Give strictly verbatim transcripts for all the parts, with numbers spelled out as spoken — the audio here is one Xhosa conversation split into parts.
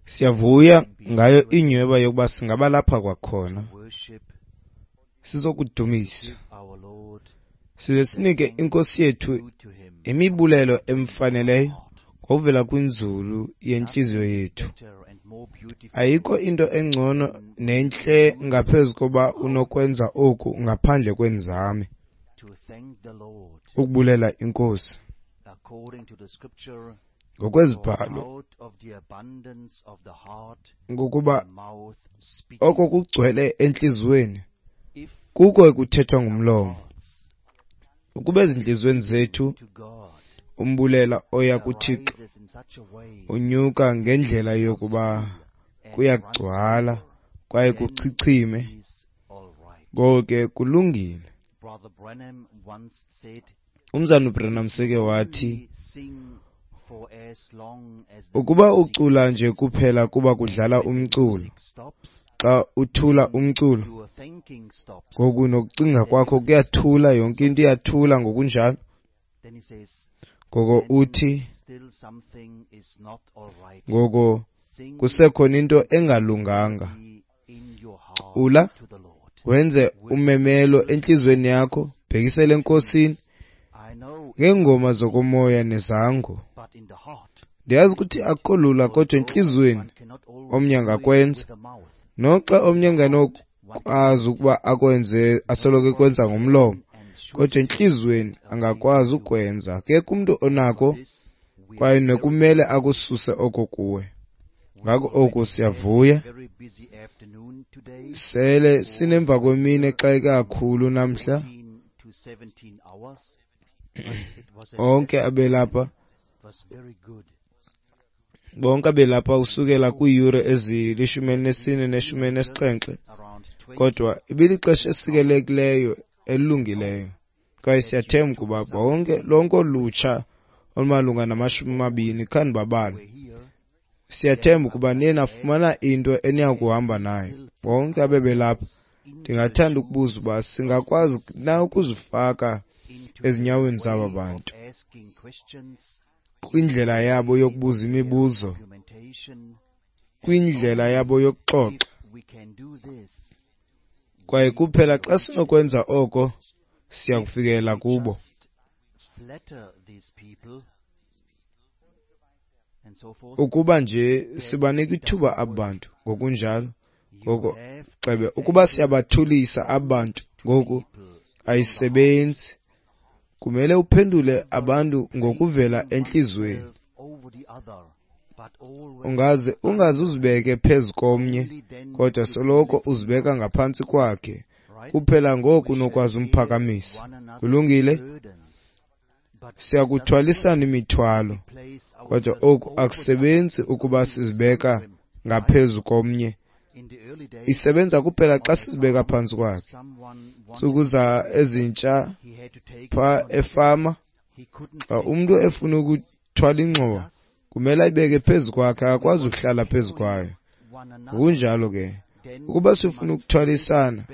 Siyavuya ngayo inyhweba yokuba singaba lapha kwakhona sizokudumisa, size sinike iNkosi yethu imibulelo emfaneleyo ngokuvela kwinzulu yentliziyo yethu. Ayikho into engcono nentle ngaphezu koba unokwenza oku ngaphandle kwenzame, ukubulela iNkosi ngokwezibhalo, ngokuba oko kugcwele entliziyweni kuko ekuthethwa ngumlomo. Ukuba ezintliziyweni zethu umbulela oya kuThixo unyuka ngendlela yokuba kuyagcwala kwaye kuchichime, ngoko ke kulungile. Umzana uBranham seke wathi, ukuba ucula nje kuphela kuba kudlala umculo, xa uthula umculo, ngoku nokucinga kwakho kuyathula, yonke into iyathula ngokunjalo. Ngoko uthi, ngoko kusekhona into engalunganga. Cula, wenze umemelo entliziyweni yakho, bhekisele eNkosini ngeengoma zokomoya nezango. Ndiyazi ukuthi akukho lula, kodwa entliziyweni omnye angakwenza, noxa omnye engenokwazi ukuba akwenze, asoloko ekwenza ngomlomo, kodwa entliziyweni angakwazi ukwenza. Akekho umntu onako kwaye nekumele akususe oko kuwe. Ngako oku siyavuya. Sele sinemva kwemini exake kakhulu namhla. Onke abelapha, bonke abelapha usukela kwiiyure ezilishumi elinesine neshumi elinesixhenxe, kodwa ibilixesha esikelekileyo elungileyo. Kwaye siyathemba ukuba bonke lonke olutsha olumalunga namashumi amabini khanibabale. Siyathemba ukuba niye nafumana into eniyakuhamba nayo. Bonke abebelapha, ndingathanda ukubuza uba singakwazi na ukuzifaka ezinyaweni zaba bantu kwindlela yabo yokubuza imibuzo, kwindlela yabo yokuxoxa. Kwaye kuphela xa sinokwenza oko, siya kufikelela kubo. Ukuba nje sibanika ithuba aba bantu ngokunjalo, ngoko xebe ukuba siyabathulisa aba bantu ngoku ayisebenzi. Kumele uphendule abantu ngokuvela entliziyweni. Ungaze ungaze uzibeke phezu komnye, kodwa soloko uzibeka ngaphantsi kwakhe. Kuphela ngoku unokwazi umphakamisa. Kulungile? Siyakuthwalisana imithwalo, kodwa oku akusebenzi ukuba sizibeka ngaphezu komnye. Isebenza kuphela xa sizibeka phantsi kwakhe. Ntsuku za ezintsha pha efama, xa umntu efuna ukuthwala ingxowa, kumele ayibeke phezu kwakhe, akakwazi ukuhlala phezu kwayo. Ngokunjalo ke, ukuba sifuna ukuthwalisana,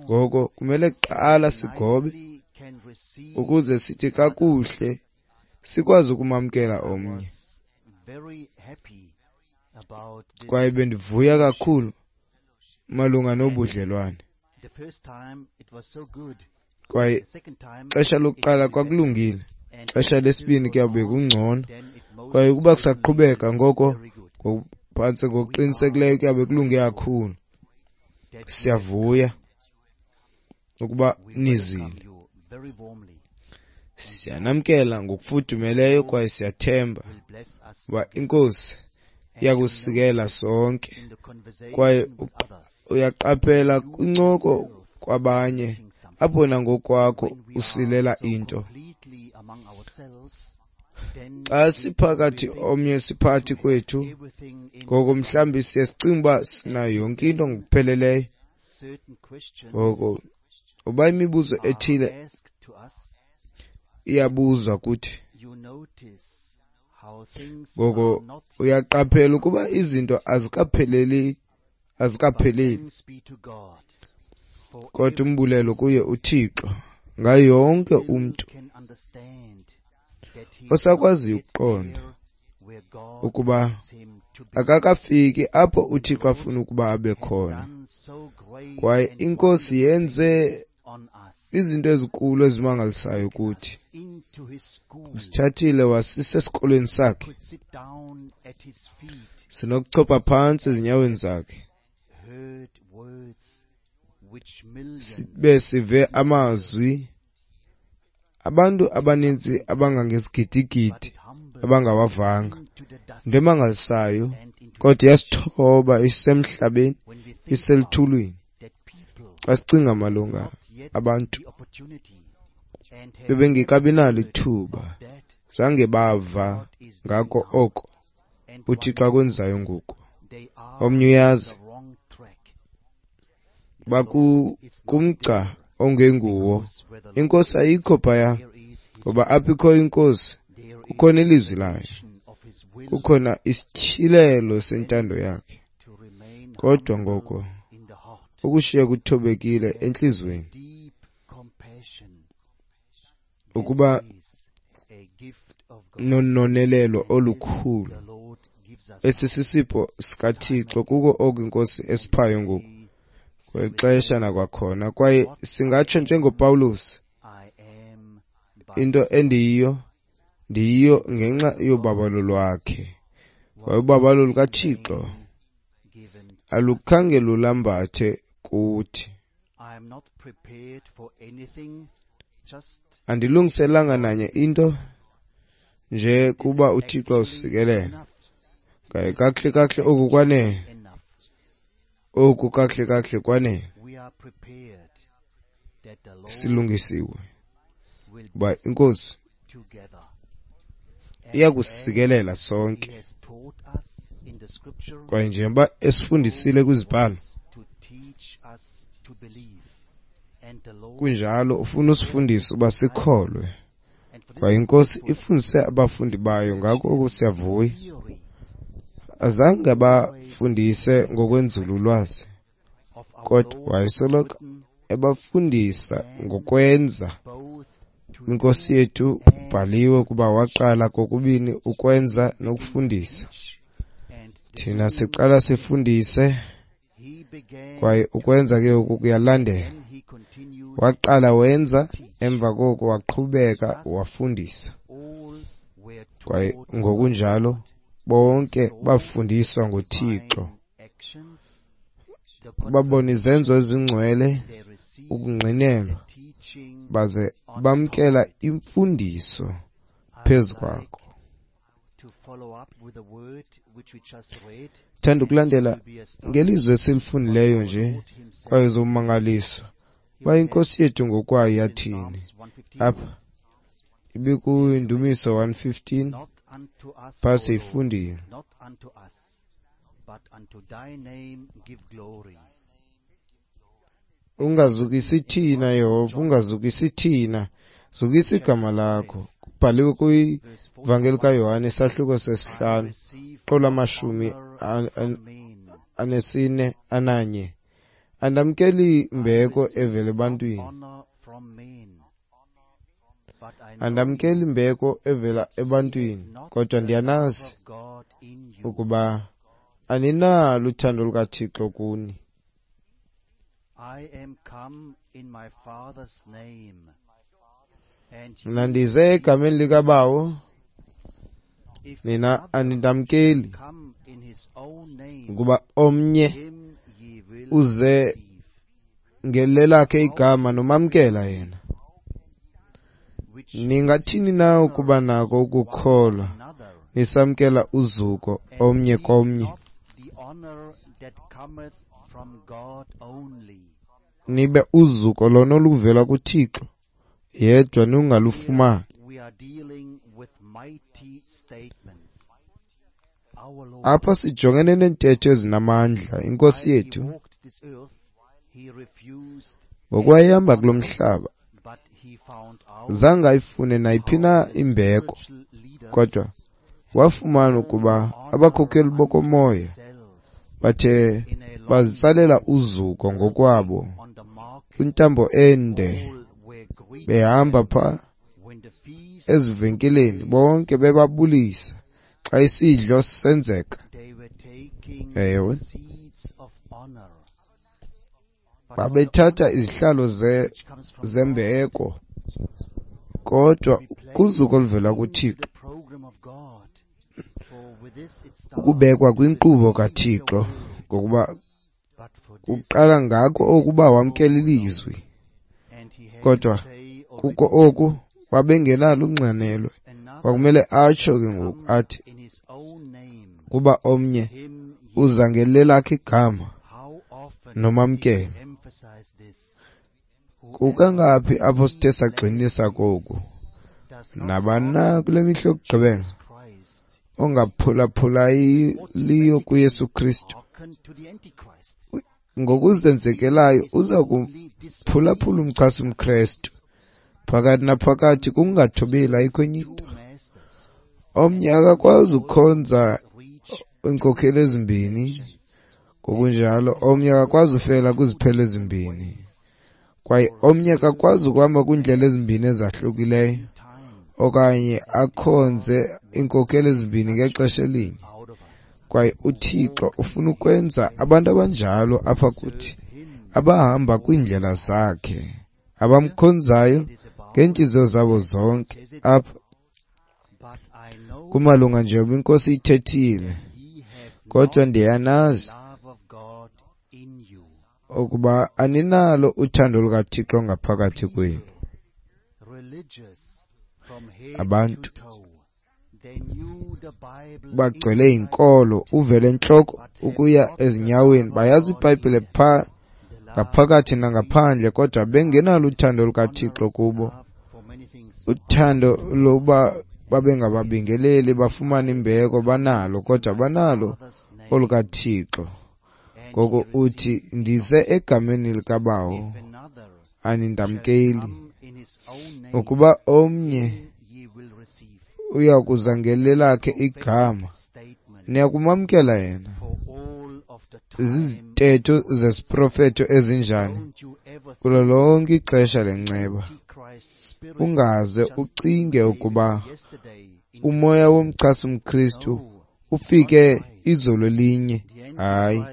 ngoko kumele kuqala sigobe ukuze sithi kakuhle sikwazi ukumamkela omnye. Kwaye bendivuya kakhulu malunga nobudlelwane. Kwaye xesha lokuqala kwakulungile, xesha lesibini kuyawube kungcono. Kwaye ukuba kusaqhubeka ngoko phantse ngokuqinisekileyo kuyabe kulunge kakhulu. Siyavuya ukuba nizile. Siyanamkela ngokufudumeleyo kwaye siyathemba uba iNkosi iyakusikela sonke. Kwaye uyaqaphela kwincoko kwabanye apho nangokwakho usilela into. Xa siphakathi omnye siphakathi kwethu, ngoko mhlawumbi siye sicinge uba sinayo yonke into ngokupheleleyo. Ngoko uba imibuzo ethile iyabuzwa kuthi, ngoko uyaqaphela ukuba izinto azikapheleli, azikapheleli. Kodwa umbulelo kuye uThixo ngayo yonke umntu osakwaziyo ukuqonda ukuba akakafiki apho uThixo afuna ukuba abe khona. Kwaye iNkosi yenze izinto ezinkulu ezimangalisayo kuthi. Usithathile wasisa esikolweni sakhe. Sinokuchopha phantsi ezinyaweni zakhe, sibe sive amazwi abantu abaninzi abangangezigidigidi abangawavanga. Into emangalisayo, kodwa iyasithoba isemhlabeni, iseluthulwini. Xa sicinga malunga abantu bebengekabi nalo ithuba, zange bava ngako oko uThixo akwenzayo ngoku. Omnye uyazi, bakumgca ongenguwo. INkosi ayikho phaya, ngoba apho ikhoyo iNkosi kukhona ilizwi layo, kukhona isityhilelo sentando yakhe. Kodwa ngoko ukushiya kuthobekile entliziyweni, ukuba nononelelo olukhulu. Esi sisipho sikaThixo, kuko oku iNkosi esiphayo ngoku kwexesha nakwakhona. Kwaye singatsho njengoPawulos, into endiyiyo ndiyiyo ngenxa yobabalo lwakhe. Kwaye ubabalo lukaThixo alukhange lulambathe kuthi. Andilungiselanga nanye into nje kuba uThixo usikelela. Kwaye kakuhle kakuhle oku kwanele, oku kakuhle kakuhle kwanele. Silungisiwe uba iNkosi iyakusikelela sonke. Kwaye njengoba esifundisile kwizibhalo, kunjalo ufuna usifundise uba sikholwe. Kwaye iNkosi ifundise abafundi bayo, ngako oku siyavuya. Azange abafundise ngokwenzululwazi, kodwa wayesoloko ebafundisa ngokwenza. INkosi yethu kubhaliwe ukuba waqala kokubini ukwenza nokufundisa. Thina siqala sifundise, kwaye ukwenza ke oku kuyalandela. Waqala wenza, emva koko waqhubeka wafundisa. Kwaye ngokunjalo bonke bafundiswa ngoThixo, babona izenzo ezingcwele, ukungqinelwa, baze bamkela imfundiso phezu kwakho. Thanda ukulandela ngelizwi esilifundileyo nje, kwaye uzomangaliswa uba iNkosi yethu ngokwayo yathini. Apha ibikuyindumiso one fifteen, phaa siyifundile. Ungazukisi thina, Yehova, ungazukisi thina, zukisa igama lakho. Kubhaliwe kwivangeli kaYohane isahluko sesihlanu, qolo amashumi anesine ananye. Andamkeli mbeko evela ebantwini, andamkeli mbeko evela ebantwini, kodwa ndiyanazi ukuba aninalo uthando lukaThixo kuni. I am come in my Father's name. Mna ndize egameni likaBawo, nina anindamkeli, ukuba omnye uze ngelelakhe igama nomamkela yena. Ningathini na ukuba nako ukukholwa nisamkela uzuko omnye komnye, nibe uzuko lona oluvela kuThixo yedwa ningalufumani? Apha sijongene neentetho ezinamandla. INkosi yethu ngokwayihamba kulo mhlaba zange ayifune nayiphi na imbeko, kodwa wafumana ukuba abakhokeli bokomoya bathe bazitsalela uzuko ngokwabo kwintambo ende, behamba pha ezivenkileni bonke bebabulisa Xa isidlo senzeka, ewe, babethatha izihlalo zembeko, kodwa kuzuko oluvela kuThixo, ukubekwa kwinkqubo kaThixo, ngokuba kuqala ngako okuba wamkela ilizwi, kodwa kuko oku babengenalo unxanelwe. Kwakumele atsho ke ngoku athi kuba omnye uza ngelelakhe igama nomamkele. Kukangaphi apho sithe sagxinisa koku? Nabani na kule mihla yokugqibela ongaphulaphulayo kuYesu Kristu ngokuzenzekelayo uza kuphulaphula umchasi mKrestu. Phakathi naphakathi kungathobeli, ayikho enye into. Omnye akakwazi ukukhonza iinkokheli ezimbini, ngokunjalo omnye akakwazi ufela kwiziphelo ezimbini, kwaye omnye akakwazi ukuhamba kwiindlela ezimbini ezahlukileyo okanye akhonze iinkokheli ezimbini ngexesha elinye. Kwaye uThixo ufuna ukwenza abantu abanjalo apha kuthi, abahamba kwiindlela zakhe, abamkhonzayo ngeentliziyo zabo zonke. Apha kumalunga njengoba iNkosi ithethile, kodwa ndiyanazi ukuba aninalo uthando lukaThixo ngaphakathi kwenu. Abantu bagcwele inkolo, uvele entloko ukuya ezinyaweni, bayazi iBhayibhile pha ngaphakathi nangaphandle, kodwa bengenalo uthando lukaThixo kubo. Uthando lokuba babengababingeleli, bafumane imbeko, banalo, kodwa banalo olukaThixo. Ngoko uthi, ndize egameni likaBawo, anindamkeli. Ukuba omnye uya kuza ngelelakhe igama, niyakumamkela yena. Zizitetho zesiprofeto ezinjani kulo lonke ixesha lenceba. Ungaze ucinge ukuba umoya womchasi mKristu ufike izolo elinye. Hayi,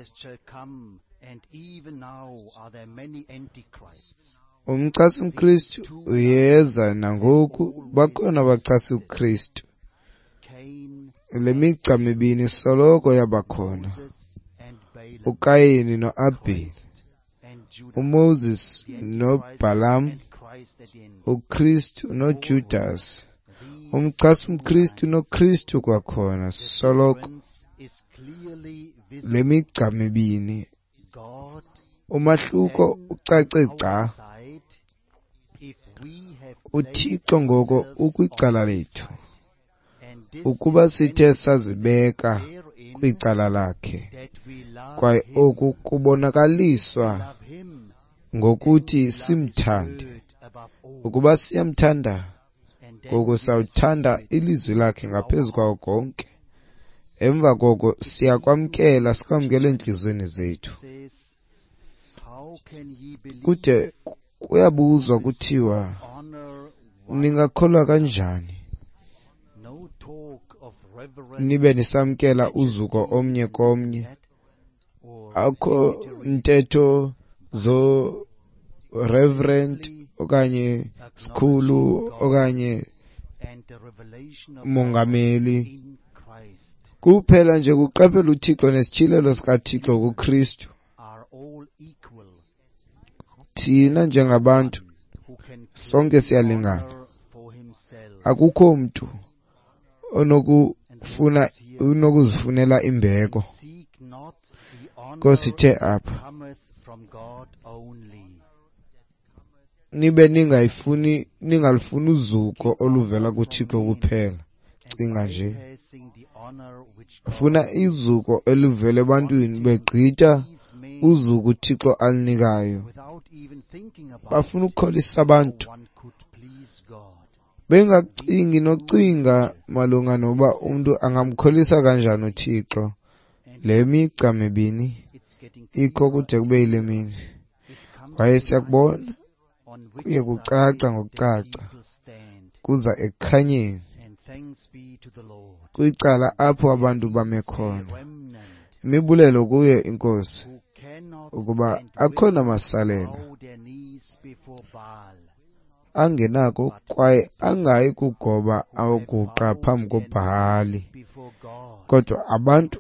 umchasi mKristu uyeza nangoku, bakhona abachasi uKristu. Le migca mibini soloko yabakhona, uKayini noAbheli, uMoses noBhalam, uKristu noJudas, umchasi mKristu noKristu kwakhona, soloko le migca mibini. Umahluko ucace gca. UThixo ngoko ukwicala lethu, ukuba sithe sazibeka kwicala lakhe, kwaye oku kubonakaliswa ngokuthi simthande. Ukuba siyamthanda, ngoko sawuthanda ilizwi lakhe ngaphezu kwawo konke. Emva koko siyakwamkela, sikwamkele entliziyweni zethu. Kude kuyabuzwa kuthiwa, ningakholwa kanjani nibe nisamkela uzuko omnye komnye? Akho ntetho zo reverend okanye sikhulu okanye mongameli, kuphela nje kuqaphela uThixo nesityhilelo sikaThixo kuKristu. Thina njengabantu sonke siyalingana. Akukho mntu onokufuna unokuzifunela imbeko. Nkosi ithe apha, nibe ningayifuni ningalifuni uzuko oluvela kuThixo kuphela. Cinga nje, funa izuko elivela ebantwini begqitha uzuko uThixo alinikayo. Bafuna ukukholisa abantu, bengacingi nocinga malunga noba umntu angamkholisa kanjani uThixo. Le migca mibini ikho kude kube yile mini, kwaye siyakubona kuye kucaca ngokucaca, kuza ekukhanyeni. Kwicala apho abantu bame khona. Imibulelo kuyo iNkosi ukuba akhona amasalela angenako kwaye angayi kugoba aguqa phambi koBhahali, kodwa abantu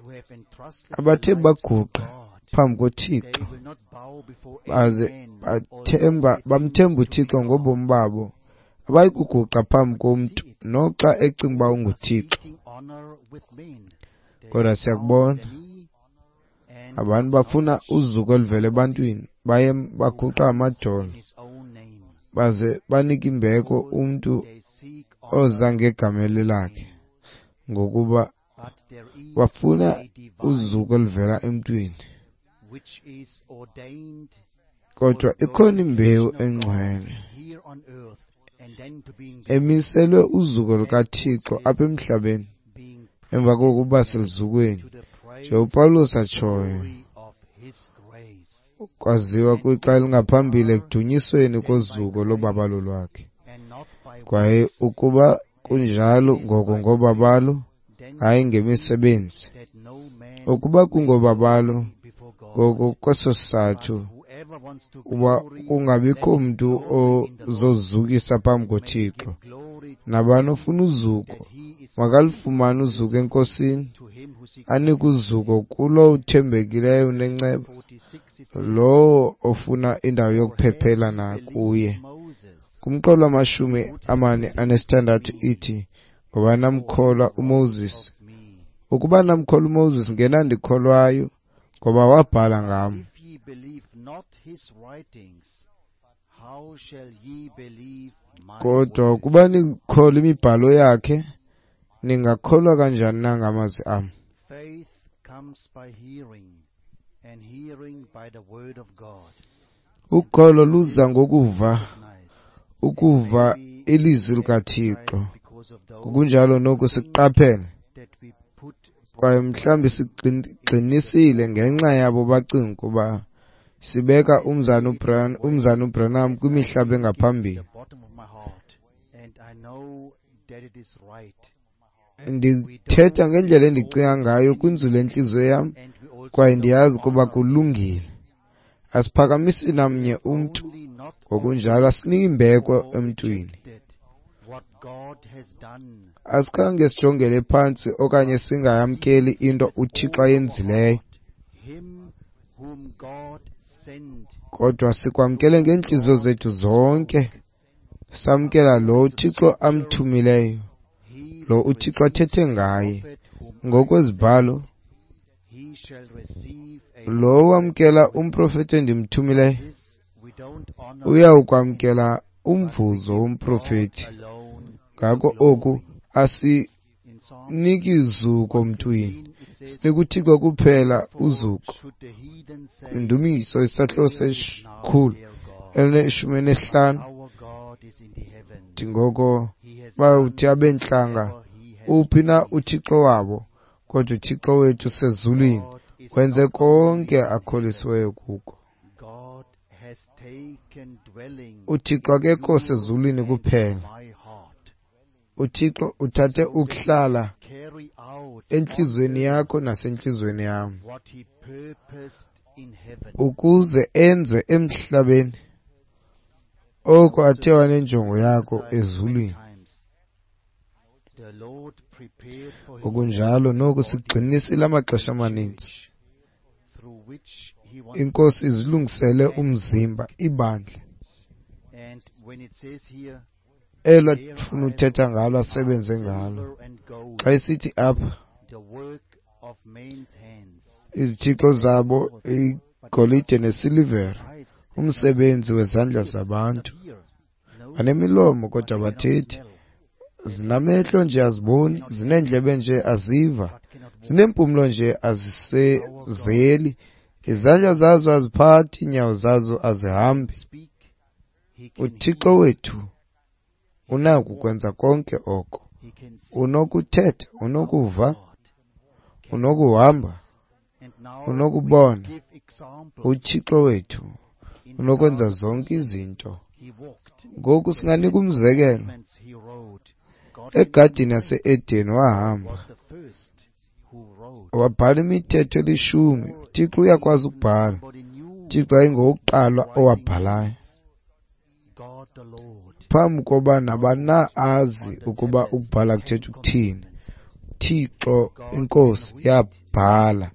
abathe baguqa phambi koThixo baze bathemba bamthemba uThixo ngobomi babo, abayi kuguqa phambi komntu noxa ecinga uba unguThixo. Kodwa siyakubona abantu bafuna uzuko oluvela ebantwini, baye baguqa amadolo baze banike imbeko umntu oza ngegama lakhe, ngokuba bafuna uzuko oluvela emntwini. Kodwa ikhona imbewu engcwele emiselwe uzuko lukaThixo apha emhlabeni emva kokuba seluzukweni, nje uPawulos atshoyo, kwaziwa kwixa elingaphambili ekudunyisweni kozuko lobabalo lwakhe. Kwaye ukuba kunjalo ngoko ngobabalo, hayi ngemisebenzi. Ukuba kungobabalo, ngoko kweso sizathu uba kungabikho mntu ozozukisa phambi koThixo. Nabani ofuna uzuko makalufumane uzuko eNkosini, anike uzuko kulowo uthembekileyo unenceba, lowo ofuna indawo yokuphephela nakuye. Kumqolo wamashumi amane anesithandathu ithi, ngoba namkholwa uMoses. Ukuba namkholwa uMoses ngenandikholwayo, ngoba wabhala ngam. Kodwa ukuba nikholwa imibhalo yakhe, ningakholwa kanjani na ngamazwi am? Ukholo luza ngokuva, ukuva ilizwi likaThixo. Ngokunjalo noku siqaphele, kwaye mhlawumbi sigxinisile ngenxa yabo bacinga ukuba sibeka umzana umzana uBranham kwimihlaba engaphambili. Ndithetha ngendlela endicinga ngayo kwinzulu entliziyo yam, kwaye ndiyazi ukuba kulungile. Asiphakamisi namnye umntu, ngokunjalo asiniki imbeko emntwini. Asikhange sijongele phantsi okanye singayamkeli into uThixo ayenzileyo, kodwa sikwamkele ngeentliziyo zethu zonke, samkela lo uThixo amthumileyo, lo uThixo athethe ngaye. Ngokwezibhalo, lo wamkela umprofeti endimthumileyo uyawukwamkela umvuzo womprofeti. Ngako oku asiniki zuko mntwini, sinika uThixo kuphela uzuko. Indumiso isahluko sesikhulu elineshumi elinesihlanu. Ngoko bawuthi abentlanga, uphi na uThixo wabo? Kodwa uThixo wethu sezulwini wenze konke akholisiweyo kuko. uThixo akekho sezulwini kuphela. uThixo uthathe ukuhlala entliziyweni yakho nasentliziyweni yam, ukuze enze emhlabeni oko athe wanenjongo yakho ezulwini. Ngokunjalo noku sigxinisile amaxesha amaninzi. INkosi izilungisele umzimba, ibandla elo afuna uthetha ngalo, asebenze ngalo. Xa isithi apha izithixo zabo igolide nesilivere, umsebenzi wezandla zabantu. Banemilomo kodwa abathethi, zinamehlo nje aziboni, zineendlebe nje aziva, zineempumlo nje azisezeli, izandla zazo aziphathi, iinyawo zazo azihambi. UThixo wethu unako ukwenza konke oko. Unokuthetha, unokuva, unokuhamba, unokubona. UThixo wethu unokwenza zonke izinto. Ngoku singanika umzekelo. Egadini yase-Eden wahamba wabhala imithetho elishumi. UThixo uyakwazi ukubhala. UThixo ayingowokuqala owabhalayo. Phambi koba nabani na azi ukuba ukubhala kuthetha ukuthini, uThixo iNkosi yabhala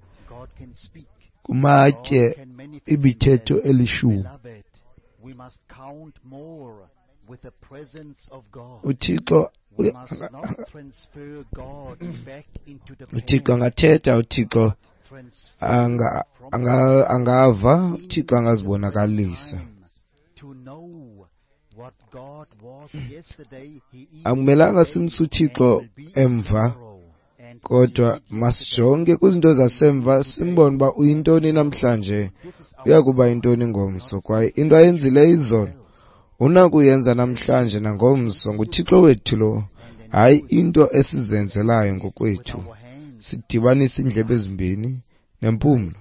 kumatye imithetho elishumi. UThixo uThixo angathetha, uThixo anga anga angava, uThixo angazibonakalisa. Akumelanga simse uThixo emva, kodwa masijonge kwizinto zasemva simbone uba uyintoni namhlanje, uyakuba yintoni ngomso. Kwaye into ayenzileyo izolo unakuyenza namhlanje nangomso. NguThixo wethu lo, hayi into esizenzelayo ngokwethu. Sidibanise iindlebe ezimbini nempumlo,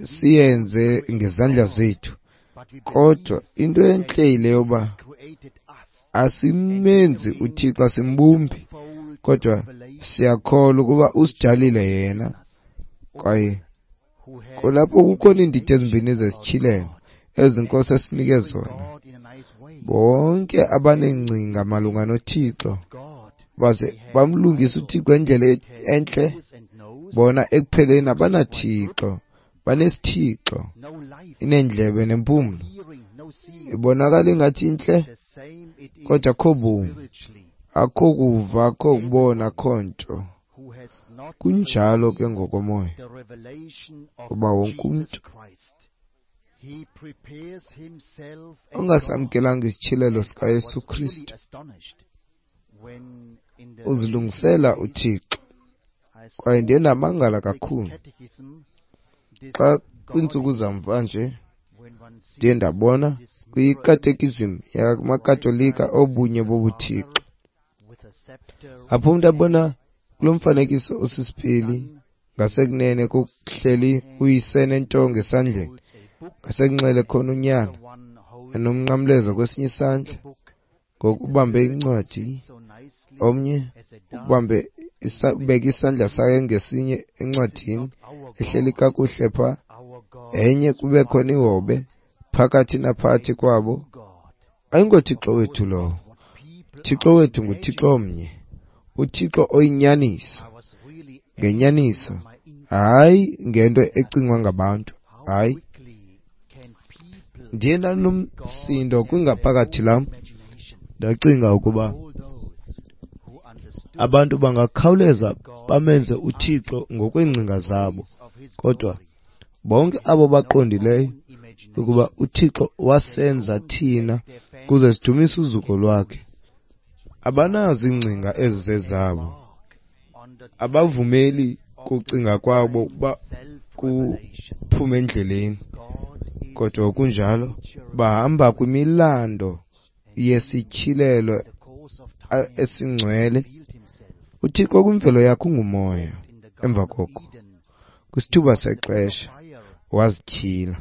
siyenze ngezandla zethu. Kodwa into entle yile yoba asimenzi uThixo, asimbumbi, kodwa siyakholwa ukuba usidalile yena. Kwaye kulapho kukhona iindidi ezimbini zesityhilelo ezi Nkosi esinike zona. Bonke abaneengcinga malunga noThixo baze bamlungise uThixo ngendlela entle, bona ekupheleni abanaThixo, banesithixo, ineendlebe nempumlo. Ibonakala ingathi intle, kodwa akho bomi, akho kuva, akho kubona, akho nto. Kunjalo ke ngokomoya, kuba wonke umntu ongasamkelanga isityhilelo sikaYesu Kristu uzilungisela uThixo. Kwaye ndiye ndamangala kakhulu xa kwiintsuku zamva nje ndiye ndabona kwikatekizim yamaKatolika obunye bobuThixo, apho umntu abona kulo mfanekiso osisipili ngasekunene kuhleli uyise nentonga esandleni, ngasekunxele khona unyana enomnqamlezo kwesinye isandla, ngoku ubambe incwadi, omnye ubambe ubeke isandla sakhe ngesinye encwadini ehleli kakuhle pha, enye kube khona ihobe phakathi naphakathi kwabo. AyingoThixo wethu lowo. Thixo wethu nguThixo omnye, uThixo oyinyaniso, ngenyaniso, hayi ngento ecingwa ngabantu. Hayi, ndiye ndanomsindo kwingaphakathi lam, ndacinga ukuba abantu bangakhawuleza bamenze uThixo ngokweengcinga zabo, kodwa bonke abo baqondileyo ukuba uThixo wasenza thina kuze sidumise uzuko lwakhe, abanazo iingcinga ezizezabo, abavumeli kucinga kwabo ukuba kuphume endleleni, kodwa kunjalo bahamba kwimilando yesityhilelo esingcwele. UThixo kwimvelo yakhe ungumoya. Emva koko, kwisithuba sexesha, wazityhila.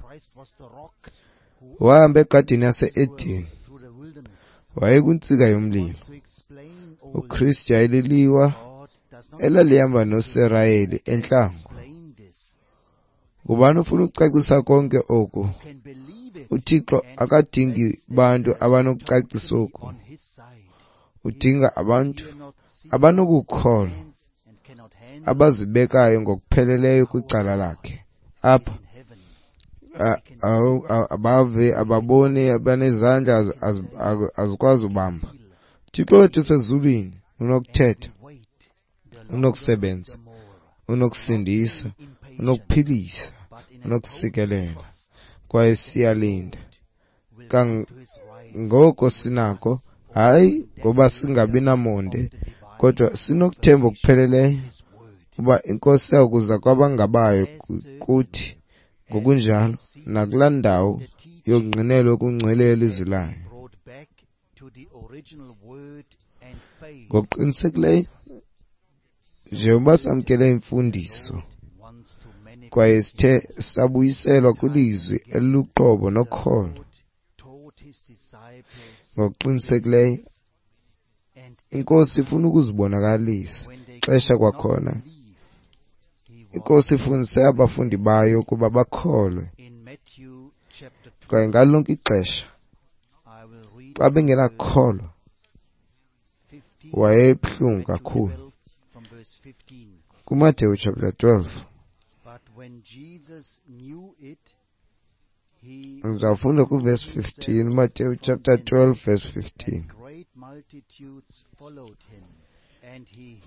Wahamba egadini yase-Eden, wayekwintsika yomlilo. UKristu yayililiwa elalihamba noSirayeli entlango. Ngubani ofuna ukucacisa konke oku? UThixo akadingi bantu abanokucacisa oku. Udinga abantu abanokukholwa, abazibekayo ngokupheleleyo kwicala lakhe. Apha abave, ababoni, abanezandla azikwazi ubamba. UThixo wethu usezulwini, unokuthetha, unokusebenza, unokusindisa, unokuphilisa, unokusikelela. Kwaye siyalinda kangoko sinako, hayi ngoba singabi namonde, kodwa sinokuthemba okupheleleyo uba iNkosi yakuza kwabangabayo kuthi, ngokunjalo nakulaa ndawo yokungqinelwa okungcwele yelizwi layo. Ngokuqinisekileyo, njengoba samkele imfundiso kwaye sithe sabuyiselwa kwilizwi eliluqobo nokholo, ngokuqinisekileyo Inkosi ifuna ukuzibonakalisa xesha kwakhona. Inkosi ifundise abafundi bayo ukuba bakholwe. Kwaye ngalo lonke ixesha xa bengenakholwa wayebuhlungu kakhulu. KuMateyu chapter twelve ndizawufunda kuverse fifteen. Mateyu chapter twelve verse fifteen.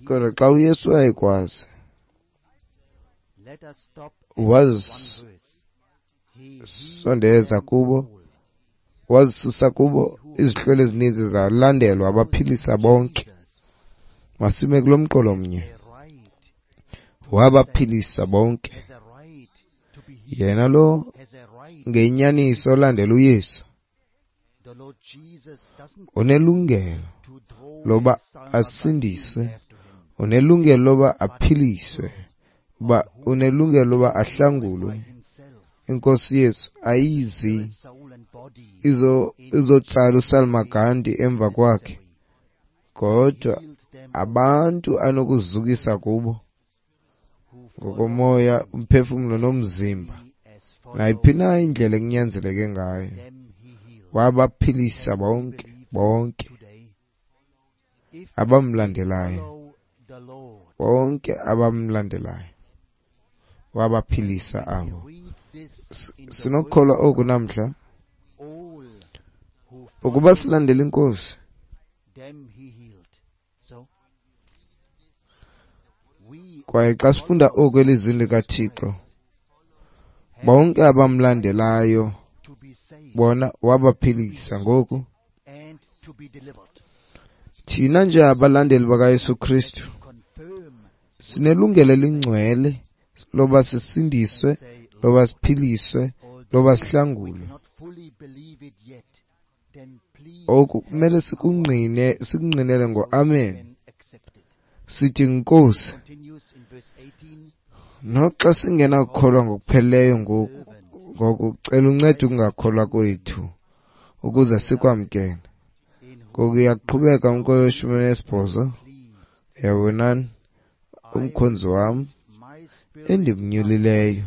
Kodwa xa uYesu wayekwazi, wazisondeza kubo, wazisusa kubo izihlwele ezininzi zalandelwa, abaphilisa bonke. Masime kulo mqolo mnye. Wabaphilisa bonke. Yena lo ngenyaniso olandela uYesu unelungelo loba asindiswe, unelungelo loba aphiliswe, uba unelungelo loba ahlangulwe. Inkosi Yesu ayizi izo izotsala uSalma Gandhi emva kwakhe, kodwa abantu anokuzukisa kubo ngokomoya, umphefumlo nomzimba, nayiphi na indlela ekunyanzeleke ngayo. Wabaphilisa bonke, bonke abamlandelayo, bonke abamlandelayo wabaphilisa abo. Sinokukholwa oku namhla ukuba silandele iNkosi. Kwaye xa sifunda oku elizwini likaThixo, bonke abamlandelayo bona wabaphilisa. Ngoku thina nje abalandeli bakaYesu Kristu sinelungelo elingcwele loba sisindiswe, loba siphiliswe, loba sihlangulwe. Oku kumele sikungqine, sikungqinele ngo-amen. Sithi Nkosi, noxa singenakukholwa ngokupheleleyo ngoku, ngoku cela uncede ukungakholwa kwethu ukuze sikwamkele. Ngoku iyaqhubeka umqolo weshumi nesibhozo. Yabonani, umkhonzi wam endimnyulileyo,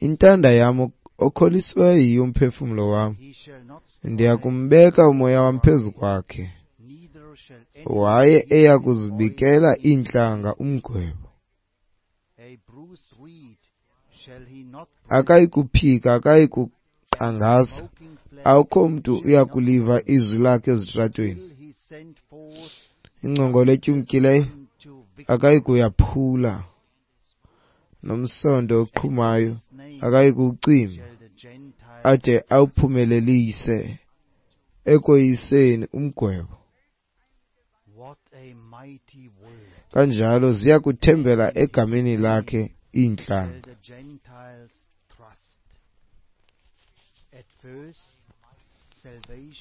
intanda yam okholisiweyo yiyo umphefumlo wam, ndiya kumbeka umoya wam phezu kwakhe, waye eya kuzibikela iintlanga umgwebo. Akayi kuphika, akayi kuqangaza, akukho mntu uya kuliva izwi lakhe ezitratweni. Ingcongolo etyumkileyo akayi kuyaphula, nomsondo oqhumayo akayi kuwucima, ade awuphumelelise ekoyiseni umgwebo. Kanjalo ziya kuthembela egameni lakhe iintlanga.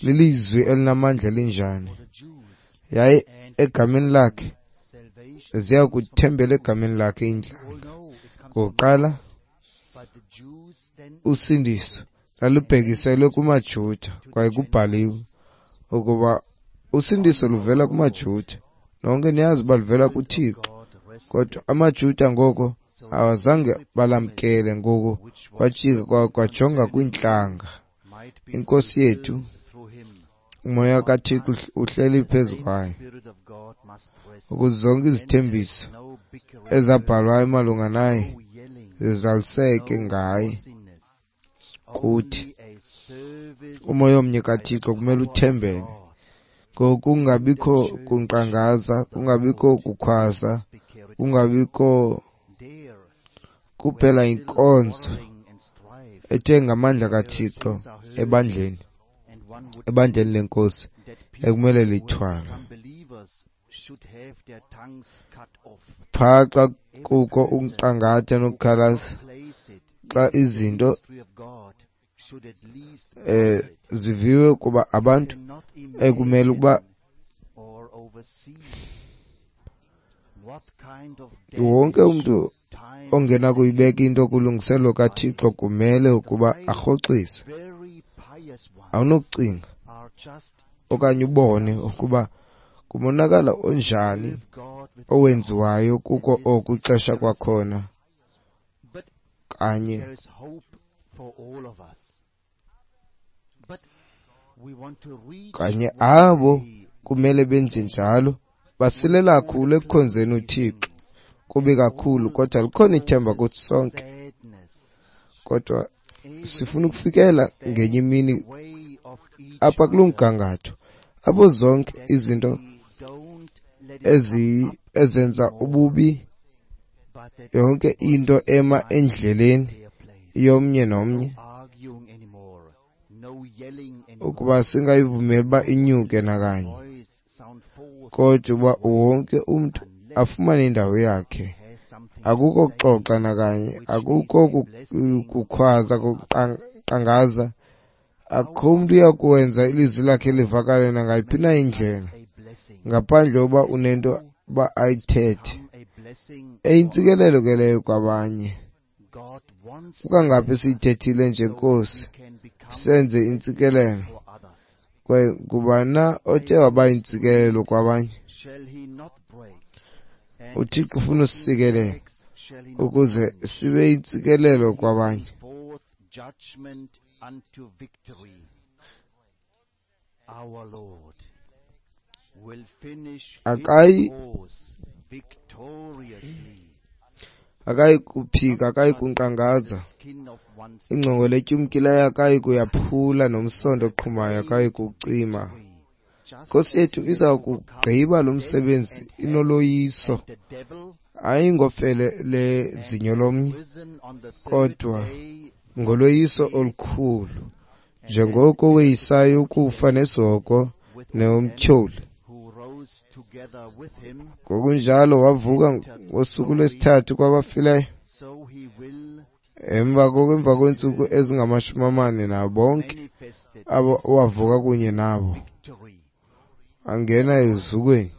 Lilizwi elinamandla elinjani! Yaye egameni lakhe ziya kuthembela egameni lakhe iintlanga. Ngokuqala usindiso lalubhekiselwe kumaJuda, kwaye kubhaliwe ukuba usindiso luvela kumaJuda. Nonke niyazi uba luvela kuThixo, kodwa amaJuda ngoko awazange balamkele. Ngoku kwajika kwajonga kwiintlanga. Inkosi yethu, umoya kaThixo uhleli phezu kwayo, ukuze zonke izithembiso ezabhalwayo malunga naye zizaliseke ngaye kuthi. Umoya omnye kaThixo kumele uthembele. Ngokungabikho kunkqangaza, kungabikho kukhwaza, kungabikho kuphela inkonzo ethe ngamandla kaThixo ebandleni, ebandleni lenkosi ekumele lithwalwe. Phaa xa kukho ukunkqangatha nokukhalaza, xa izinto eh ziviwe kuba abantu ekumele ukuba wonke umntu ongena kuyibeka into kulungiselelo kaThixo kumele ukuba arhoxise. Awunokucinga okanye ubone ukuba kumonakalo onjani owenziwayo kuko oku ixesha kwakhona kanye. Kanye abo kumele benze njalo basilela kakhulu ekukhonzeni uThixo. Kubi kakhulu, kodwa likhona ithemba kuthi sonke. Kodwa sifuna ukufikela ngenye imini apha kuloo mgangatho apho zonke izinto ezi ezenza ububi, yonke into ema endleleni yomnye nomnye, ukuba singayivumeli uba inyuke nakanye, kodwa uba wonke umntu afumane indawo yakhe. Akukho kuxoxa nakanye, akukho kukhwaza, kuqangaza. Akukho mntu uya kuwenza ilizwi lakhe livakale nangayiphi na indlela ngaphandle uba unento uba ayithethe. Eyintsikelelo ke leyo kwabanye. Kukangaphi siyithethile nje, Nkosi, senze intsikelelo. Kwaye ngubani na othe waba yintsikelelo kwabanye? UThixo ufuna usisikelela ukuze sibe yintsikelelo kwabanye. Akayi akayi kuphika, akayi kunkqangaza. Ingcongolo etyumkileyo akayi kuyaphula, nomsonto oqhumayo akayi kucima. Nkosi yethu iza kugqiba lo msebenzi inoloyiso, hayi ngofele lezinyo lomnye, kodwa ngoloyiso olukhulu, njengoko weyisayo ukufa nesihogo nomtyholi. Ngokunjalo wavuka ngosuku lwesithathu kwabafileyo, emva koko emva kweentsuku ezingamashumi amane nabo bonke abo wavuka kunye nabo angena ezukweni.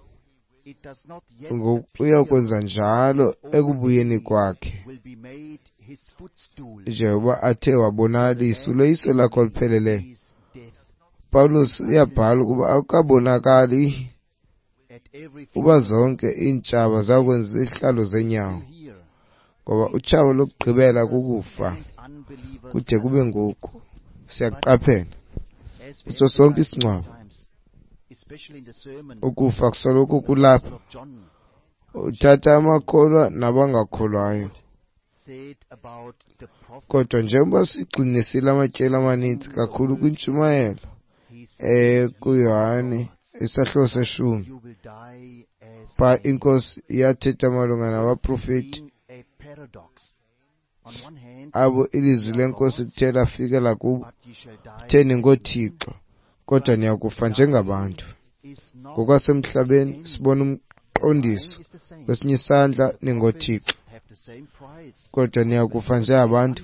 Uya kwenza njalo ekubuyeni kwakhe, njengoba athe wabonakalisa uloyiso lakhe olupheleleyo. Pawulos uyabhala ukuba akukabonakali uba zonke iintshaba zakwenza izihlalo zenyawo, ngoba utshaba lokugqibela kukufa. Kude kube ngoku siyaqaphela kuso sonke isingcwabo ukufa kusoloko kulapha, uthatha amakholwa nabangakholwayo. Kodwa njengoba sigxinisile amatyeli amaninzi kakhulu kwintshumayelo ekuYohane isahluko seshumi, pha iNkosi yathetha malunga nabaprofeti abo ilizwi leNkosi lithe lafikela kubo, uthe ningoothixo, kodwa niyakufa njengabantu. Ngokwasemhlabeni sibona umqondiso, kwesinye isandla ningoothixo, kodwa niyakufa njengabantu.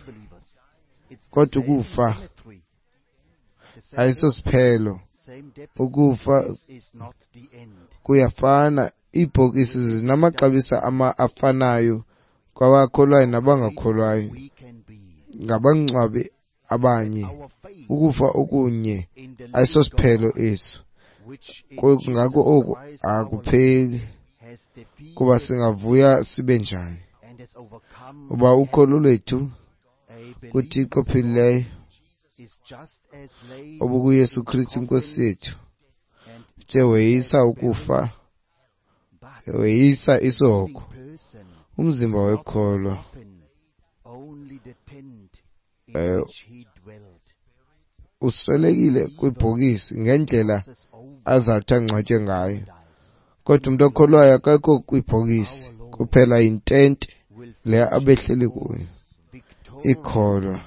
Kodwa ukufa ayisosiphelo. Ukufa kuyafana. Iibhokisi zinamaxabiso afanayo kwabakholwayo nabangakholwayo, ngabangcwabi abanye. Ukufa okunye ayisosiphelo eso. Ngako oku akupheli, kuba singavuya sibe njani uba ukholo lwethu kuThixo ophilileyo obukuYesu Kristu iNkosi yethu, uthe weyisa ukufa, weyisa isihogo. Umzimba wekholwa eh, uswelekile kwibhokisi ngendlela azawuthi angcwatywe ngayo, kodwa umntu okholwayo akekho kwibhokisi, kuphela yintente le abehleli kuyo. Ikholwa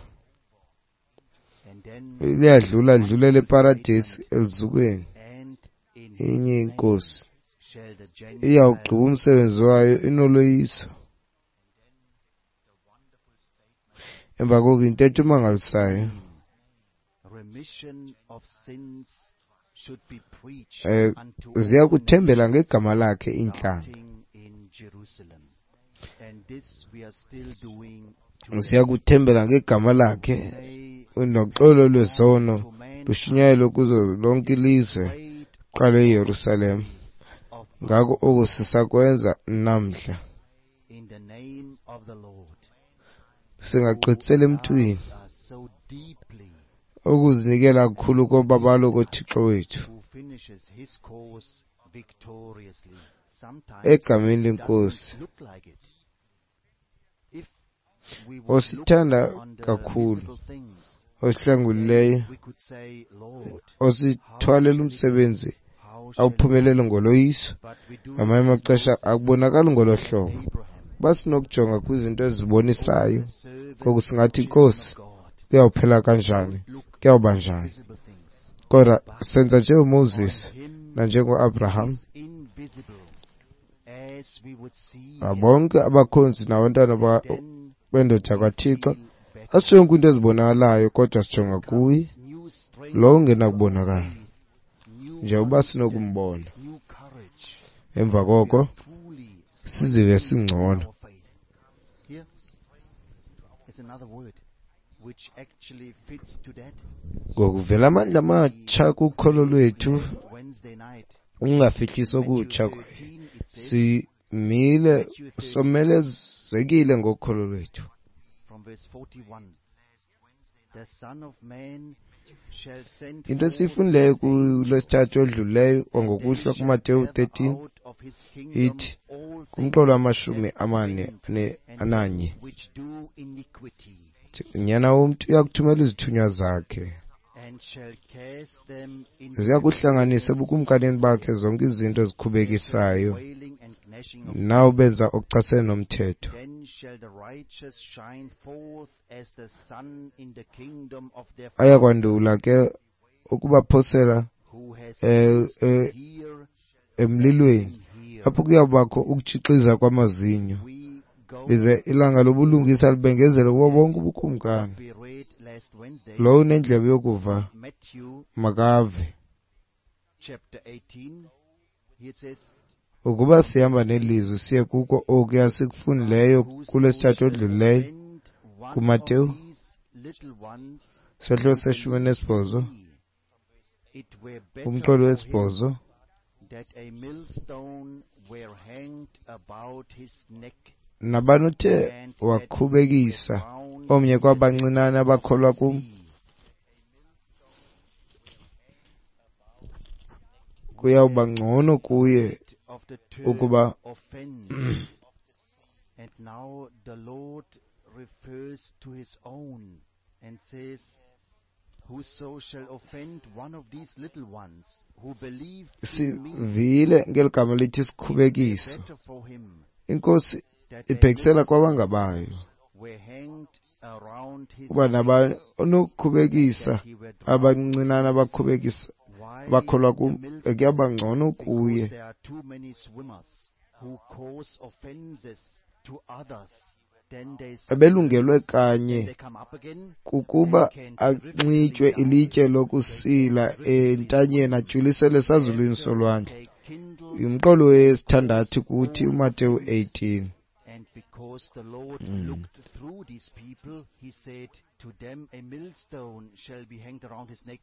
liyadlula, lidlulele eparadesi elizukweni. Inye iNkosi iyawugqiba umsebenzi wayo inoloyiso. Emva koko intetho emangalisayo eh ziya kuthembela ngegama lakhe iintlanga. Ziya kuthembela ngegama lakhe, noxolo lwezono Lushunyayelwe kuzo lonke ilizwe, kuqale eYerusalem. Ngako oku sisakwenza namhla. Singagqithiseli emntwini ukuzinikela kukhulu kobabalo koThixo wethu. Egameni leNkosi, osithanda kakhulu, osihlangulileyo, osithwalela umsebenzi awuphumelele ngoloyiso. Ngamanye amaxesha akubonakali ngolo hlobo. Uba sinokujonga kwizinto ezibonisayo, ngoku singathi, Nkosi, kuyawuphela kanjani, kuyawuba njani. Kodwa senza njengoMoses nanjengoAbraham, bonke abakhonzi nabantwana bendoda kaThixo, asijonge kwiinto ezibonakalayo, kodwa sijonga kuye lo ungenakubonakala, njengoba sinokumbona. Emva koko sizive singcono. Ngokuvela amandla amatsha kukholo lwethu, ungafihlisi okutsha kwaye simile somelezekile ngokholo lwethu. Into esiyifundileyo kulwesithathu odlulileyo kwangokuhlwa kuMateyu thirteen ithi kumqolo wamashumi amane ananye, uNyana womntu uyakuthumela izithunywa zakhe, ziya kuhlanganisa ebukumkanini bakhe zonke izinto ezikhubekisayo nawo benza okuchasene nomthetho. Ayakwandula ke ukubaphosela emlilweni, apho kuyawubakho ukutshixiza kwamazinyo, lize ilanga lobulungisa libengezele kubo bonke ubukumkani. Lowo unendlebe yokuva makave. Ukuba sihamba nelizwi siye kuko okuya sikufundileyo kulwesithathu odlulileyo kuMateyu sehlo seshumi nesibhozo, umqolo wesibhozo, nabani othe wakhubekisa omnye kwabancinane abakholwa kum, kuyawuba ngcono kuye ukuba And now the Lord refers to his own and says, whoso shall offend one of these little ones who believe in me, sivile ngeli gama lithi sikhubekiso. better for him Inkosi that a ibhekisela kwabangabayo, were hanged around his kuba neck, nabani onokukhubekisa that he were drowned. abancinane abakhubekisa Why abakholwa the kum, millstone? kuyawuba ngcono Because kuye there are too many swimmers who cause offenses to others. Then they ebelungelwe submerge, kanye then they come up again kukuba and can anxitywe terrifically ilitye down. lokusila entanyeni atyuliselwe esazulwini After solwandle. they kindled Umqolo wesithandathu kuthi uMateyu eighteen. And because the Lord Mm. looked through these people, he said to them, a millstone shall be hanged around his neck,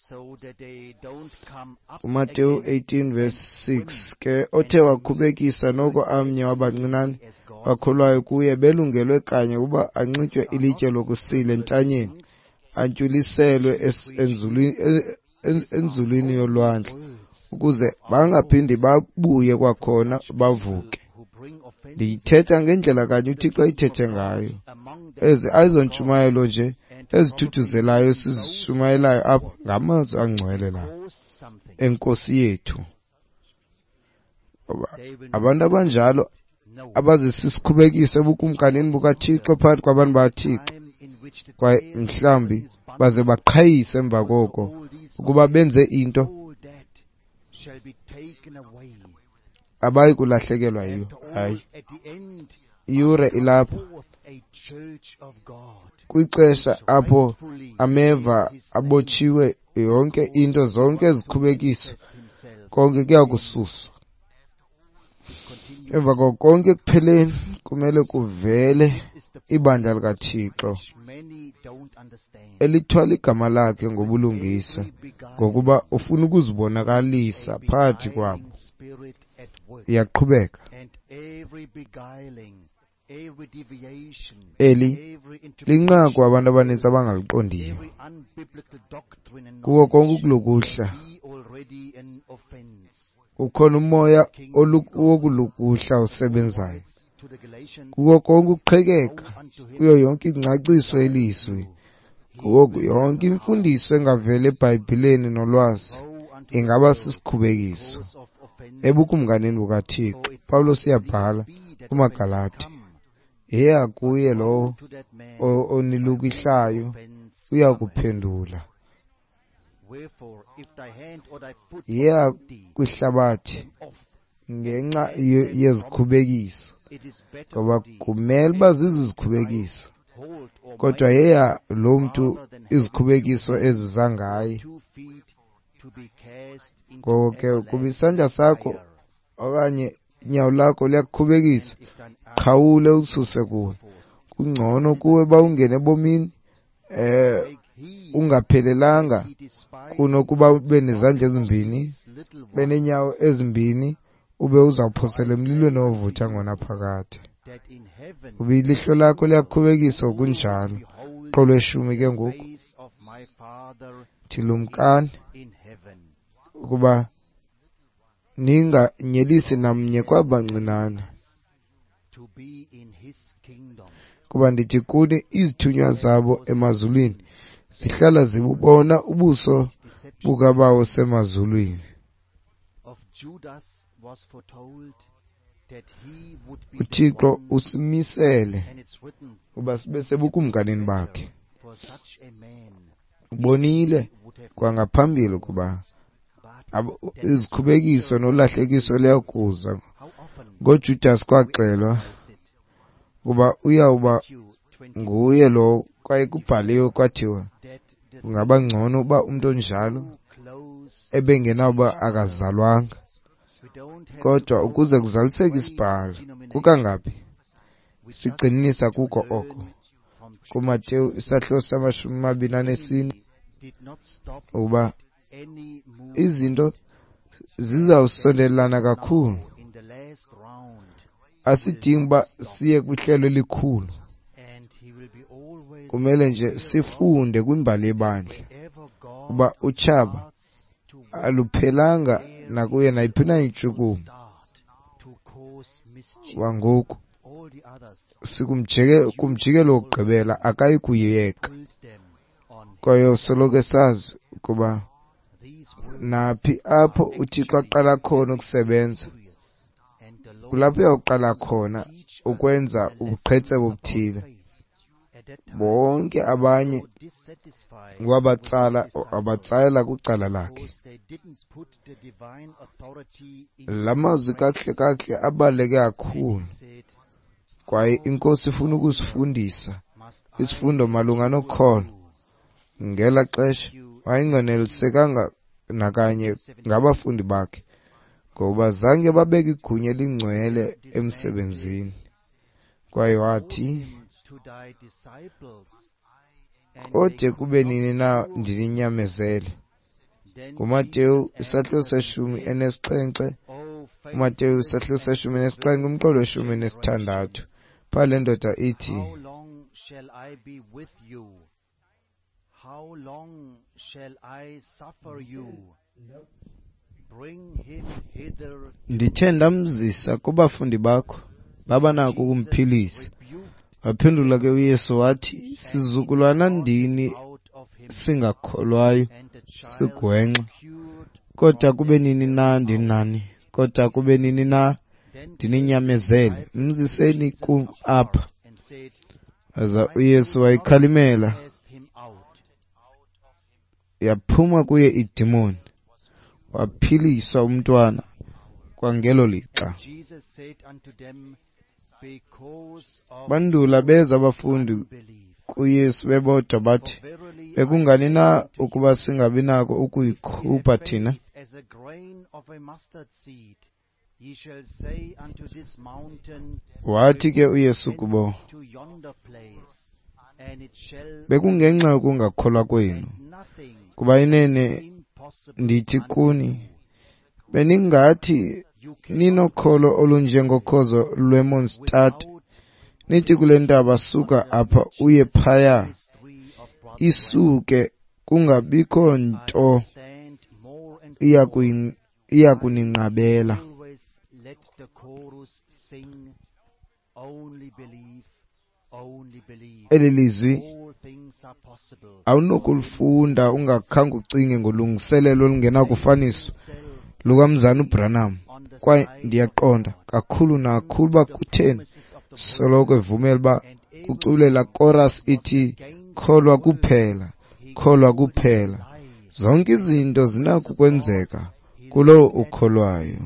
so that they don't come up uMateyu again eighteen verse and six swim ke othe wakhubekisa noko amnye wabancinane as God bakholwayo kuye belungelwe kanye ukuba anxitywe ilitye lokusila entanyeni things, antyuliselwe es- enzulwini e- en- enzulwini yolwandle, words ukuze bangaphindi babuye kwakhona bavuke. who bring offenses Ndiyithetha ngendlela kanye uThixo ayithethe ngayo. among them Ezi ayizontshumayelo nje and ezithuthuzelayo sizishumayelayo apha, ngamazwi angcwele la caused something. enkosi yethu. Ngoba They will abantu abanjalo know abazisisikhubekiso ebukumkanini bukaThixo phakathi kwabantu bakaThixo, time in which the kwaye tares of mhlawumbi heaven is bundled, baze baqhayise emva koko all these ukuba benze into all that shall be taken away. abayi kulahlekelwa yiyo. After all, Hayi, at the end iyure ilapha forth a church of God kwixesha apho rightfully ameva his name abotshiwe yonke into, zonke ezikhubekiso, manifest himself. konke kuya kususwa. Emva koko konke ekupheleni kumele kuvele ibandla likaThixo elithwala igama lakhe ngobulungisa, ngokuba ufuna ukuzibonakalisa phakathi kwabo. Iyaqhubeka. Eli linqaku abantu abanintsi abangaliqondiyo. Kuko konke ukulukuhla ukhona umoya wokulukuhla osebenzayo. Kuko konke ukuqhekeka, kuyo yonke ingcaciso yelizwi, kuko yonke imfundiso engaveli eBhayibhileni nolwazi, ingaba sisikhubekiso ebukumkanini bukaThixo. Pawulos uyabhala kumaGalati, yeya kuye lowo onilukihlayo uya kuphendula. Yeya kwihlabathi ngenxa yezikhubekiso, ngoba kumele uba zizizikhubekiso, kodwa yeya lo mntu izikhubekiso eziza ngaye. Ngoko ke ukuba isandla sakho okanye inyawo lakho liyakukhubekisa, qhawule ususe kuwe. Kungcono kuwe uba ungene ebomini eh ungaphelelanga kunokuba ube nezandla ezimbini, ube neenyawo ezimbini, ube uzawuphosela emlilweni ovutha ngonaphakade. Uba ilihlo lakho liyakukhubekisa, kunjalo. Qolo eshumi ke ngoku thilumkani ukuba ninganyelisi namnye kwabancinane, kuba ndithi kuni izithunywa zabo emazulwini zihlala zibubona ubuso bukaBawo semazulwini. UThixo usimisele uba sibe sebukumkanini bakhe. Ubonile kwangaphambili ukuba izikhubekiso nolahlekiso liyakuza. NgoJudas kwaxelwa ukuba uyawuba nguye lo, kwaye kubhaliwe kwathiwa kungaba ngcono uba umntu onjalo ebengenawuba akazalwanga. Kodwa ukuze kuzaliseke isibhalo, kukangaphi sigxininisa kuko oko. KuMateyu isahluko samashumi amabini anesine, ukuba izinto zizawusondelelana kakhulu. Asidingi uba siye kwihlelo elikhulu, kumele nje sifunde kwimbali yebandla uba utshaba aluphelanga nakuye nayiphi na intshukumo. Wangoku sikumjikelo wokugqibela akayi kuyeka, kwaye soloko esazi ukuba naphi apho uThixo aqala khona ukusebenza, kulapho uyawuqala khona ukwenza ubuqhetseba obuthile. Bonke abanye wabatsala wabatsalela kwicala lakhe. La mazwi kakuhle kakuhle abaluleke kakhulu, kwaye iNkosi ifuna ukusifundisa isifundo malunga nokholo. Ngela xesha wayenganelisekanga nakanye ngabafundi bakhe, ngoba zange babeke igunya elingcwele emsebenzini. Kwaye wathi, kode kube nini na ndininyamezele? NguMateyu isahluko seshumi enesixhenxe, uMateyu isahluko seshumi enesixhenxe umqolo weshumi enesithandathu. Phaa le ndoda ithi, How long shall I suffer you? Bring him hither. Ndithe ndamzisa kubafundi bakho, baba nako ukumphilisa. Waphendula ke uYesu wathi, sizukulwana ndini singakholwayo, sigwenxa, kodwa kube nini na ndinani? Kodwa kube nini na ndininyamezele? Mziseni kum apha. Aza uYesu wayikhalimela, yaphuma kuye idimoni, waphiliswa umntwana kwangelo lixa. Bandula beza abafundi kuYesu bebodwa bathi, bekungani na ukuba singabi nako ukuyikhupha thina? Wathi ke uYesu kubo, bekungenxa yokungakholwa kwenu, kuba inene ndithi kuni, beningathi ninokholo olunjengokhozo lwemonstad, nithi kule ntaba suka apha uye phaya, isuke kungabikho nto iyakuninqabela. Eli lizwi awunokulifunda ungakhange ucinge ngolungiselelo olungenakufaniswa lukaMzana uBranham, kwaye ndiyaqonda kakhulu nakakhulu uba kutheni soloko evumela uba kucule laa chorus ithi kholwa kuphela, kholwa kuphela. Zonke izinto zinako ukwenzeka kulowo ukholwayo.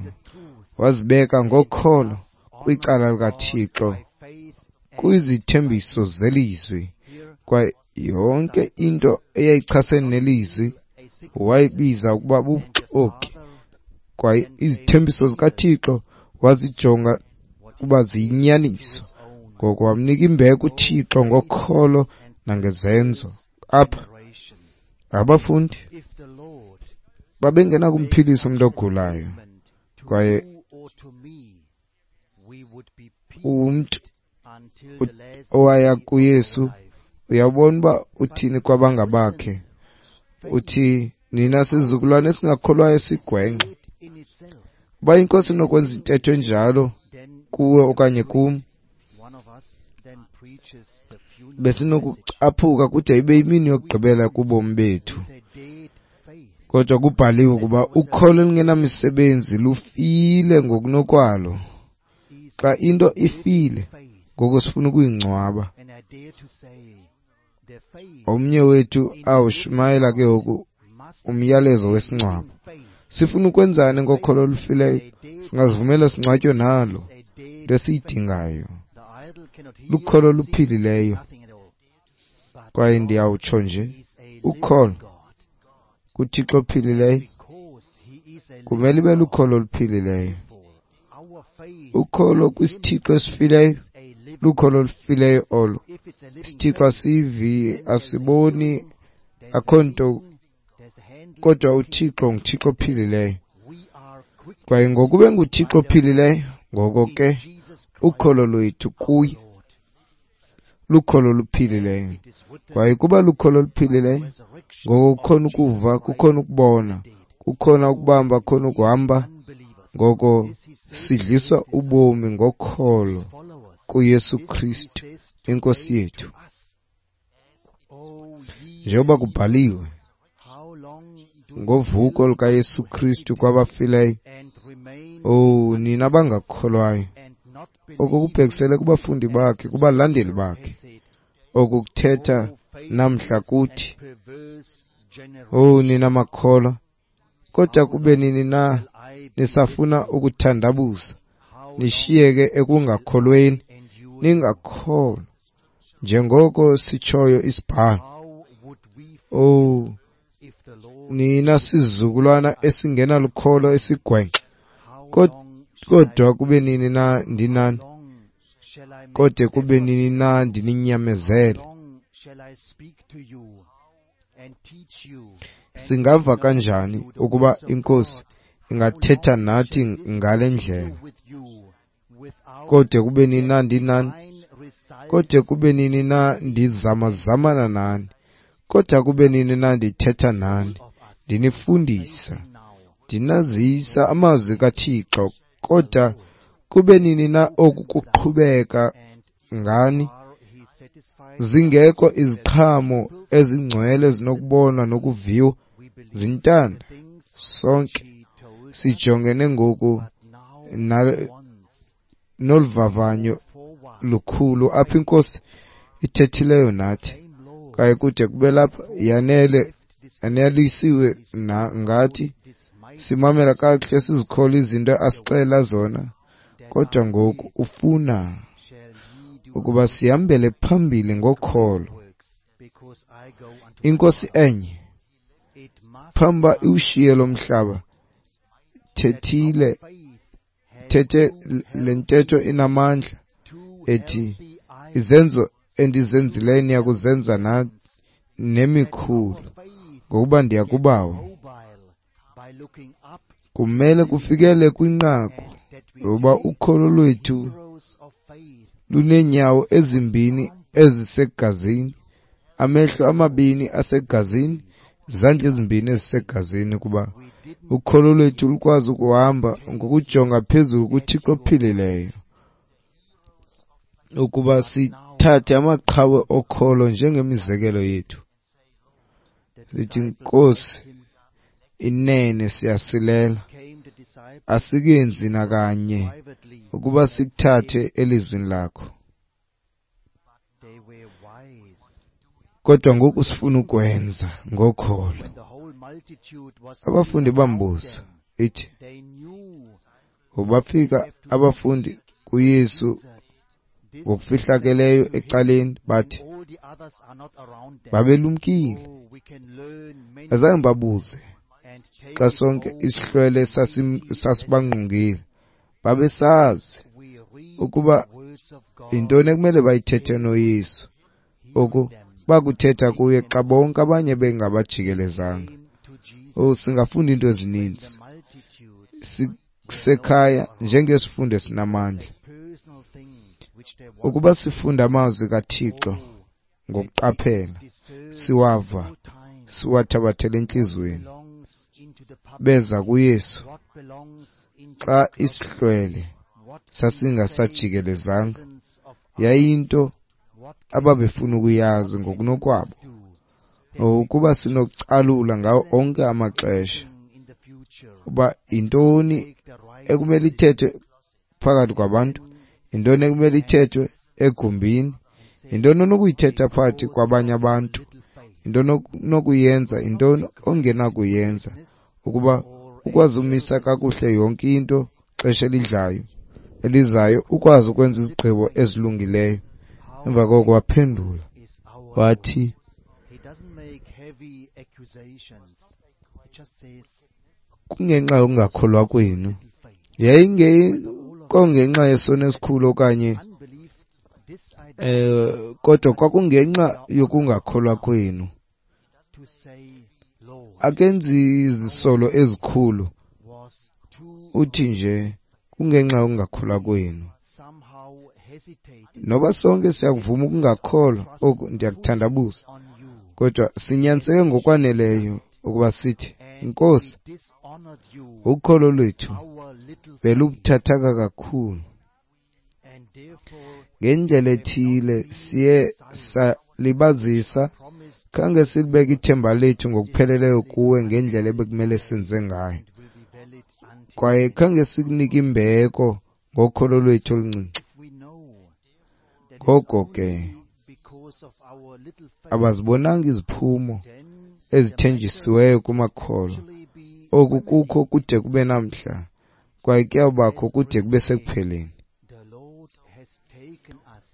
Wazibeka ngokholo kwicala likaThixo kwizithembiso zelizwi, kwaye yonke into eyayichasene nelizwi wayibiza ukuba bubuxoki, kwaye izithembiso zikaThixo wazijonga ukuba ziyinyaniso. Ngoko wamnika imbeko uThixo ngokholo nangezenzo. Apha abafundi babengenakumphilisa umntu ogulayo, kwaye umntu owaya kuYesu uyabona uba uthini kwabangabakhe. Uthi, nina sizukulwane esingakholwayo sigwenxa. Uba iNkosi inokwenza intetho enjalo kuwe okanye kum, besinokucaphuka kude ibe yimini yokugqibela kubomi bethu. Kodwa kubhaliwe ukuba ukholo olungenamisebenzi lufile ngokunokwalo. Xa into ifile, ngoko sifuna ukuyingcwaba. Omnye wethu awushumayela ke ngoku umyalezo wesingcwabo. Sifuna ukwenzani ngokholo olufileyo? Singazivumela singcwatywe nalo. Into esiyidingayo lukholo oluphilileyo. Kwaye ndiyawutsho nje, ukholo kuThixo ophilileyo kumele ibe lukholo oluphilileyo. Ukholo kwisithixo esifileyo lukholo olufileyo olo. Isithixo asivi, asiboni, akho nto, kodwa uThixo nguThixo ophilileyo. Kwaye ngokube nguThixo ophilileyo, ngoko ke ukholo lwethu kuye lukholo oluphilileyo. Kwaye kuba lukholo oluphilileyo, ngoko kukhona ukuva, kukhona ukubona, kukhona ukubamba, kukhona ukuhamba. Ngoko sidliswa ubomi ngokholo kuYesu Kristu iNkosi yethu. Njengoba kubhaliwe ngovuko lukaYesu Kristu kwabafileyo, oh nina abangakholwayo, oko kubhekisele kubafundi bakhe, kubalandeli bakhe, oku kuthetha namhla kuthi, oh nina makholwa, kodwa kube nini na nisafuna ukuthandabuza, nishiyeke ekungakholweni, ningakholwa njengoko sitshoyo isibhalo. Oh nina sizukulwana esingenalukholo esigwenxa, kodwa kube nini na ndinani, kodwa kube nini na ndininyamezele. Singava kanjani ukuba iNkosi ingathetha nathi ngale ndlela? Kodwa kube nini na ndinani, kodwa kube nini na ndizamazamana nani, kodwa kube nini na ndithetha nani, ndinifundisa, ndinazisa amazwi kaThixo, kodwa kube nini na oku kuqhubeka ngani zingekho iziqhamo ezingcwele zinokubonwa nokuviwa zintanda? Sonke sijongene ngoku noluvavanyo lukhulu apho iNkosi ithethileyo nathi, kwaye kude kube lapha yanele yanelisiwe ngathi simamela kakuhle, sizikholwa izinto asixelela zona. Kodwa ngoku ufuna ukuba sihambele phambili ngokholo. INkosi enye phambi uba iwushiye lo mhlaba thethile Uthethe le ntetho inamandla ethi, izenzo endizenzileyo niyakuzenza na nemikhulu, ngokuba ndiya kuBawo. Kumele kufikele kwinqaku lokuba ukholo lwethu luneenyawo ezimbini ezisegazini, amehlo amabini asegazini, izandla ezimbini ezisegazini, kuba ukholo lwethu lukwazi ukuhamba ngokujonga phezulu kuThixo ophilileyo, ukuba sithathe amaqhawe okholo njengemizekelo yethu. Sithi, Nkosi, inene siyasilela, asikenzi nakanye ukuba sikuthathe elizwini lakho, kodwa ngoku sifuna ukwenza ngokholo. Abafundi bambuza, ithi bafika abafundi kuYesu ngokufihlakeleyo ecaleni, bathi babelumkile, azange babuze xa sonke isihlwele sasibangqongile. Babesazi ukuba yintoni ekumele bayithethe noYesu, oku bakuthetha kuye xa bonke abanye bengabajikelezanga. Oh, singafunda into ezininzi sisekhaya njengesifundo esinamandla. Ukuba sifunda amazwi kaThixo ngokuqaphela, siwava, siwathabathele entliziyweni. Beza kuYesu xa isihlwele sasingasajikelezanga, yayinto ababefuna ukuyazi ngokunokwabo. Ukuba sinokucalula ngawo onke amaxesha uba yintoni ekumele ithethwe phakathi kwabantu, yintoni ekumele ithethwe egumbini, yintoni onokuyithetha phakathi kwabanye abantu, yintoni onokuyenza, yintoni ongenakuyenza, ukuba ukwazi umisa kakuhle yonke into xesha elidlayo elizayo, ukwazi ukwenza izigqibo ezilungileyo. Emva koko waphendula wathi, kungenxa yokungakholwa kwenu, yayingekho ngenxa yesono esikhulu okanye eh kodwa kwakungenxa yokungakholwa kwenu. Akenzi izisolo ezikhulu, uthi nje kungenxa yokungakholwa kwenu. Noba sonke siyakuvuma ukungakholwa oku, ndiyakuthandabuza, kodwa sinyaniseke ngokwaneleyo ukuba sithi, Nkosi, ukholo lwethu belubuthathaka kakhulu. Ngendlela ethile siye salibazisa, khange silibeke ithemba lethu ngokupheleleyo kuwe ngendlela ebekumele senze ngayo, kwaye khange sikunike imbeko ngokholo lwethu oluncinci. Ngoko ke abazibonanga iziphumo ezithenjisiweyo kumakholwa. Oku kukho kude kube namhla, kwaye kuyawubakho kude kube sekupheleni.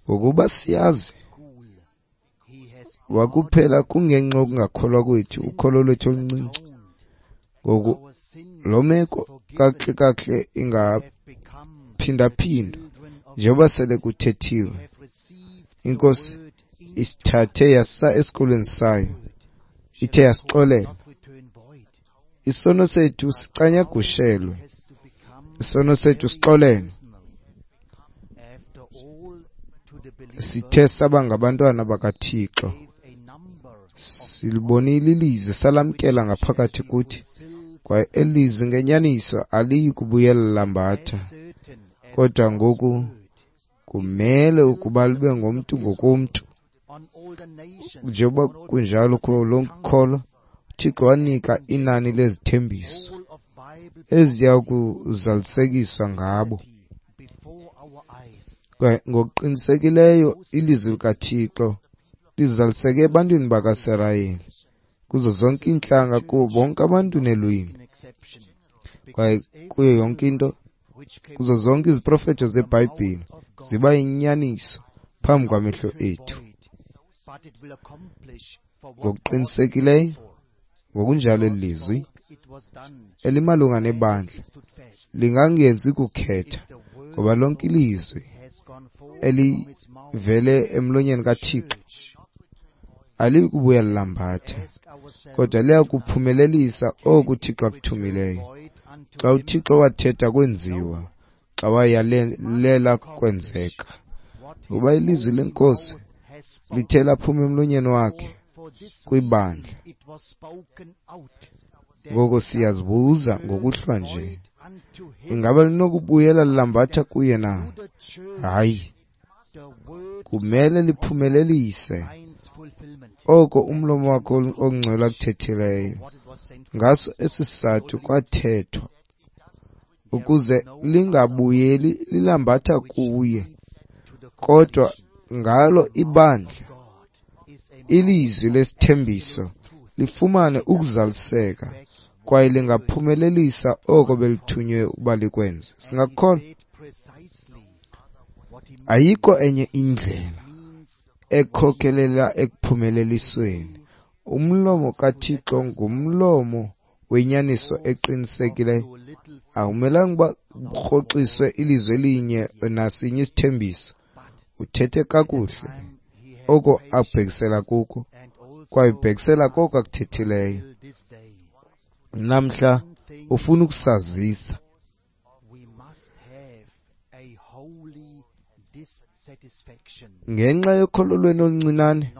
Ngokuba siyazi wakuphela kungenxa yokungakholwa kwethu, ukholo lwethu oluncinci. Ngoku lo meko kakuhle kakuhle ingaphindaphindwa njengoba sele kuthethiwe. INkosi isithathe yasa esikolweni sayo, ithe yasixolela. Isono sethu sicanyagushelwe, isono sethu sixolelwe. Sithe saba ngabantwana bakaThixo, silibonile ilizwi, salamkela ngaphakathi kuthi, kwaye elizwi ngenyaniso aliyi kubuyela lambatha, kodwa ngoku kumele ukuba libe ngomntu ngokomntu. Njengoba kunjalo kulo kholo, uThixo wanika inani lezithembiso eziya kuzalisekiswa ngabo. Kwaye ngokuqinisekileyo ilizwi likaThixo lizaliseke ebantwini bakaSirayeli, kuzo zonke iintlanga, kubo bonke abantu neelwimi, kwaye kuyo yonke into, kuzo zonke iziprofeto zeBhayibhile ziba yinyaniso phambi kwamehlo ethu. Ngokuqinisekileyo ngokunjalo eli lizwi elimalunga nebandla lingangenzi kukhetha, Ngoba lonke ilizwi elivele emlonyeni kaThixo aliyi kubuya lilambatha, kodwa liya kuphumelelisa oku uThixo akuthumileyo. Xa uThixo wathetha kwenziwa, xa wayalela kwenzeka. Ngoba ilizwi leNkosi lithe laphuma emlonyeni wakhe kwibandla. Ngoko siyazibuza ngokuhlwa nje, ingaba linokubuyela lilambatha kuye na? Hayi, kumele liphumelelise oko umlomo wakhe ongcwele akuthethileyo. Ngaso esi sizathu kwathethwa, ukuze lingabuyeli lilambatha kuye, kodwa ngalo ibandla ilizwi lesithembiso lifumane ukuzaliseka, kwaye lingaphumelelisa oko belithunywe ukuba likwenze. Singakukholwa? Ayikho enye indlela ekhokelela ekuphumelelisweni. Umlomo kaThixo ngumlomo wenyaniso eqinisekileyo. Akumelanga uba kurhoxiswe ilizwi elinye nasinye isithembiso. Uthethe kakuhle oko abhekisela kuko, kwaye ubhekisela koko akuthethileyo. Namhla ufuna ukusazisa. Ngenxa yokholo lwenu oluncinane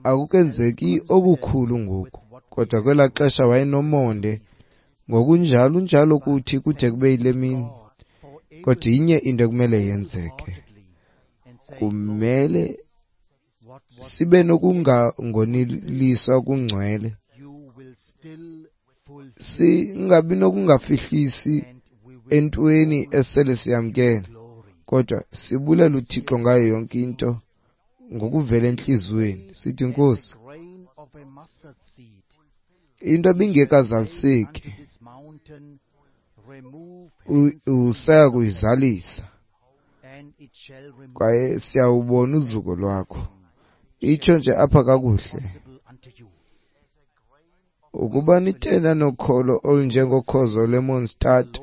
akukenzeki okukhulu ngoku, kodwa kwelaa xesha wayenomonde, ngokunjalo unjalo kuthi kude kube yile mini. Kodwa inye into ekumele yenzeke, kumele sibe nokungangoneliswa kungcwele, singabi nokungafihlisi entweni esele siyamkele, kodwa sibulela uThixo ngayo yonke into ngokuvela entliziyweni. Sithi, Nkosi, into ebingekazaliseki usaya kuyizalisa, kwaye siyawubona uzuko lwakho. Itsho nje apha kakuhle, ukuba nithe nanokholo olunjengokhozo lwemonstad,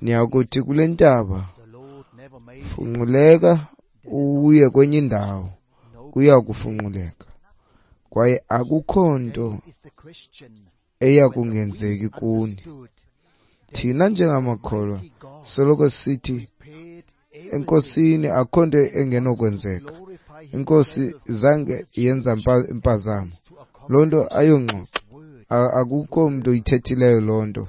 niyakuthi kule ntaba, funquleka uye kwenye indawo, kuya kufunquleka. Kwaye akukho nto eya kungenzeki kuni. Thina njengamakholwa soloko sithi eNkosini akukho nto engenokwenzeka. INkosi zange yenza impazamo. Loo nto ayongxoxo, akukho mntu uyithethileyo loo nto.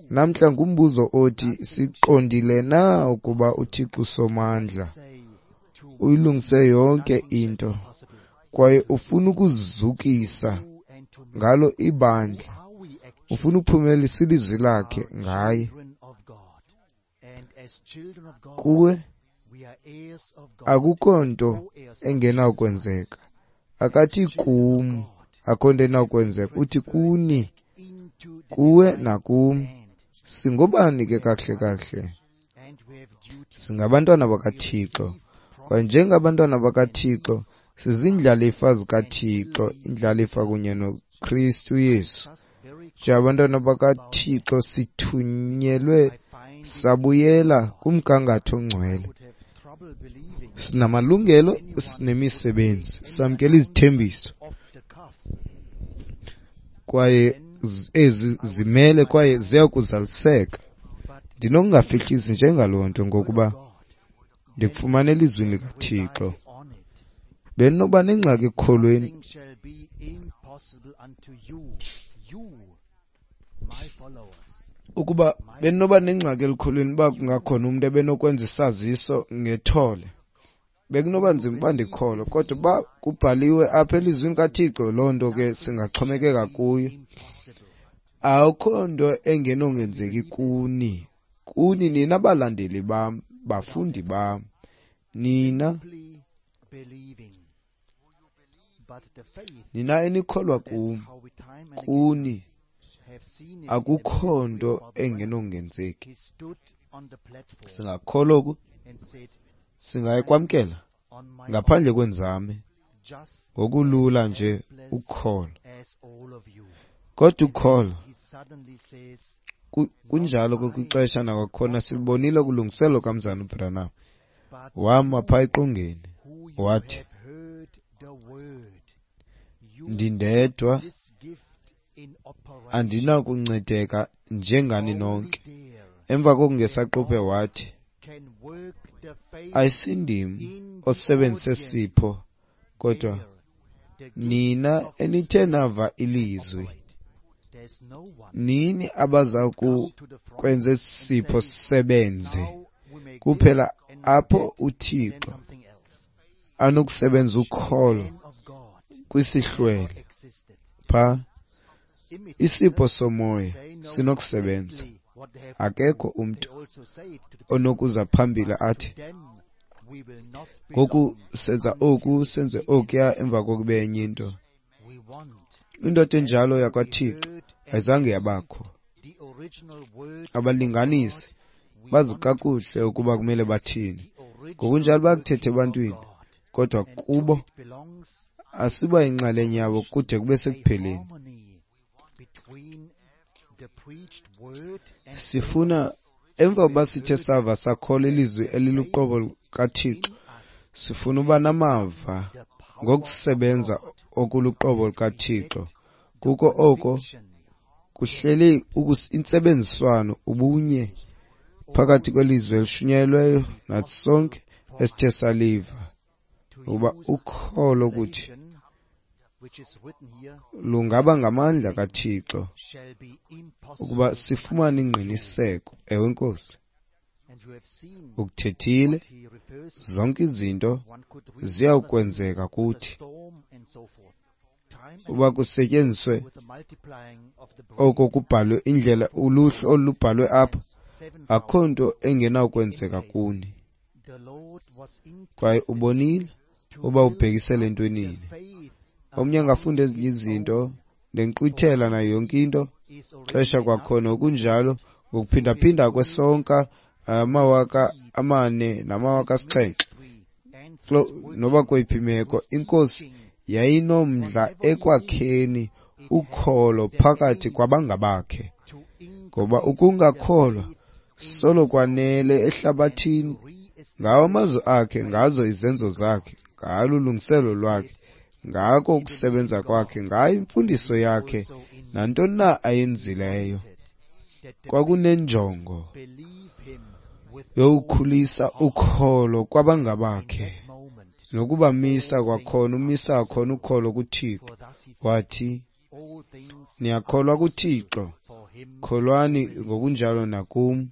Namhla ngumbuzo othi, siqondile na ukuba uThixo usomandla uyilungise yonke into, kwaye ufuna ukuzukisa ngalo ibandla, ufuna ukuphumelelisa ilizwi lakhe ngaye. Kuwe akukho nto engenakwenzeka. Akathi kum akho nto enakwenzeka, uthi kuni, kuwe nakum. Singobani ke kakuhle kakuhle? Singabantwana bakaThixo, kwaye njengabantwana bakaThixo sizindlalifa zikaThixo, indlalifa kunye noKristu Yesu. Njengabantwana bakaThixo sithunyelwe sabuyela kumgangatho ongcwele. Sinamalungelo, sinemisebenzi, samkela izithembiso, kwaye ezi zimele kwaye ziya kuzaliseka. Ndinokungafihlisi njengaloo nto, ngokuba ndikufumana elizwini likaThixo. Bendinoba nengxaki ekukholweni ukuba bendinoba nengxaki elukholweni uba kungakhona umntu ebenokwenza isaziso ngethole, bekunoba nzima uba ndikholwe. Kodwa uba kubhaliwe apha elizwini kaThixo, loo nto ke singaxhomekeka kuyo. Akukho nto engenongenzeki kuni, kuni nina balandeli bam, bafundi bam, nina nina enikholwa kum, kuni akukho nto engenongenzeki. Singakholwa oku, singayikwamkela ngaphandle kwenzame, ngokulula nje ukukholwa. Kodwa ukukholwa Kunjalo ke kwixesha nakwakhona silubonile kulungiselo kaMzana uBranham. Wama phaa eqongeni wathi, ndindedwa andinakuncedeka njengani nonke. Emva kokungesaquphe wathi, ayisindim osebenzise sipho, kodwa nina enithe nava ilizwi, nini abaza kwenza isipho sisebenze. Kuphela apho uThixo anokusebenza ukholo kwisihlwele pha, isipho somoya sinokusebenza. Akekho umntu onokuza phambili athi, ngoku senza oku, senze okuya, emva kokube enye into. Indoda enjalo yakwaThixo ayizange yabakho. Abalinganisi bazi kakuhle ukuba kumele bathini. Ngokunjalo bakuthethe ebantwini, kodwa kubo asiba yinxalenye yabo kude kube sekupheleni. Sifuna emva kokuba sithe sava sakholwa ilizwi eliluqobo kaThixo, sifuna uba namava ngokusebenza okuluqobo lukaThixo. Kuko oko kuhleli intsebenziswano, ubunye phakathi kwelizwi elishunyayelweyo nathi sonke esithe saliva, ukuba ukholo kuthi lungaba ngamandla kaThixo ukuba sifumane ingqiniseko. Ewe Nkosi, ukuthethile, zonke izinto ziyawukwenzeka kuthi. Uba kusetyenziswe oko kubhalwe, indlela uluhlu olubhalwe apha, akho nto engenakwenzeka kuni. Kwaye ubonile uba ubhekisele entwenini. Omnye angafunda ezinye izinto nenkqwithela nayo yonke into xesha kwakhona okunjalo ngokuphindaphinda kwesonka amawaka amane namawaka asixhenxe. Noba kweyiphi imeko, iNkosi yayinomdla ekwakheni ukholo phakathi kwabangabakhe, ngoba ukungakholwa solo kwanele ehlabathini ngawo amazwi akhe, ngazo izenzo zakhe, ngalo ulungiselo lwakhe, ngako ukusebenza kwakhe, ngayo imfundiso yakhe, nantoni na ayenzileyo. Kwakunenjongo yokukhulisa ukholo kwabangabakhe nokubamisa kwakhona, umisa kwakhona ukholo kuThixo. Wathi, niyakholwa kuThixo, kholwani ngokunjalo nakum.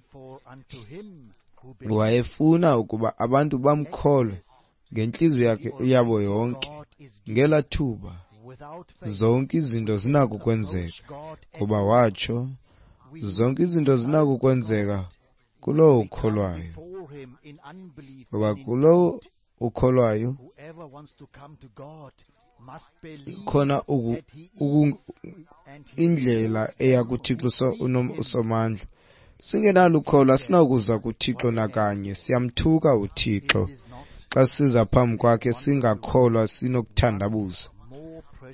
Wayefuna ukuba abantu bamkholwe ngentliziyo yakhe yabo yonke. Ngela thuba zonke izinto zinako ukwenzeka, ngoba watsho, zonke izinto zinako ukwenzeka kulowo ukholwayo. Ngoba kulowo ukholwayo khona indlela eya kuThixo uSomandla. Singenalo ukholo asinakuza kuThixo nakanye. Siyamthuka uThixo xa siza phambi kwakhe singakholwa, sinokuthandabuza.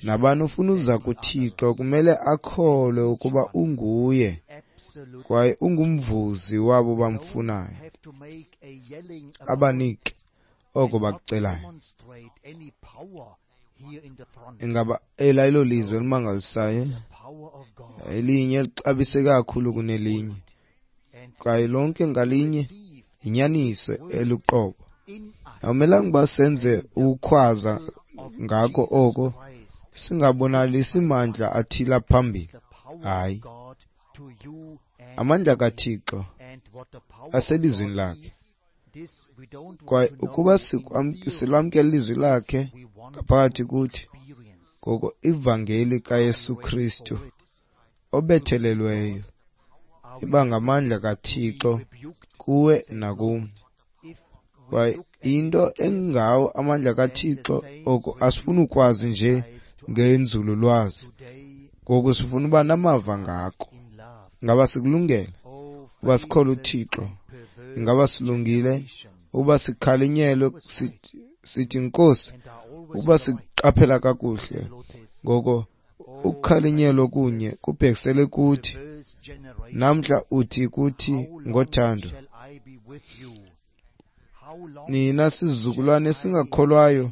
Nabani ufuna uza kuThixo kumele akholwe ukuba unguye kwaye ungumvuzi wabo bamfunayo, abanike oko bakucelayo. Ingaba ela ilo lizwi elimangalisayo, elinye elixabiseke kakhulu kunelinye, kwaye lonke ngalinye yinyaniso eluqobo. Awumelanga uba senze ukukhwaza ngako oko, singabonalisi mandla athile phambili. Hayi, amandla kaThixo aselizwini lakhe. Kwaye ukuba silwamkela ilizwi lakhe ngaphakathi kuthi, ngoko ivangeli kaYesu Kristu obethelelweyo iba ngamandla kaThixo kuwe nakum. Kwaye into engawo amandla kaThixo, oko asifuni ukwazi nje ngenzululwazi, ngoku sifuna uba namava ngako. Ingaba sikulungele uba sikholwe uThixo? Ingaba silungile uba sikhalinyelwe sithi Nkosi, uba siqaphela kakuhle? Ngoko Ukukhalinyelwa kunye kubhekisele kuthi. Namhla uthi kuthi ngothando, nina sizukulwane esingakholwayo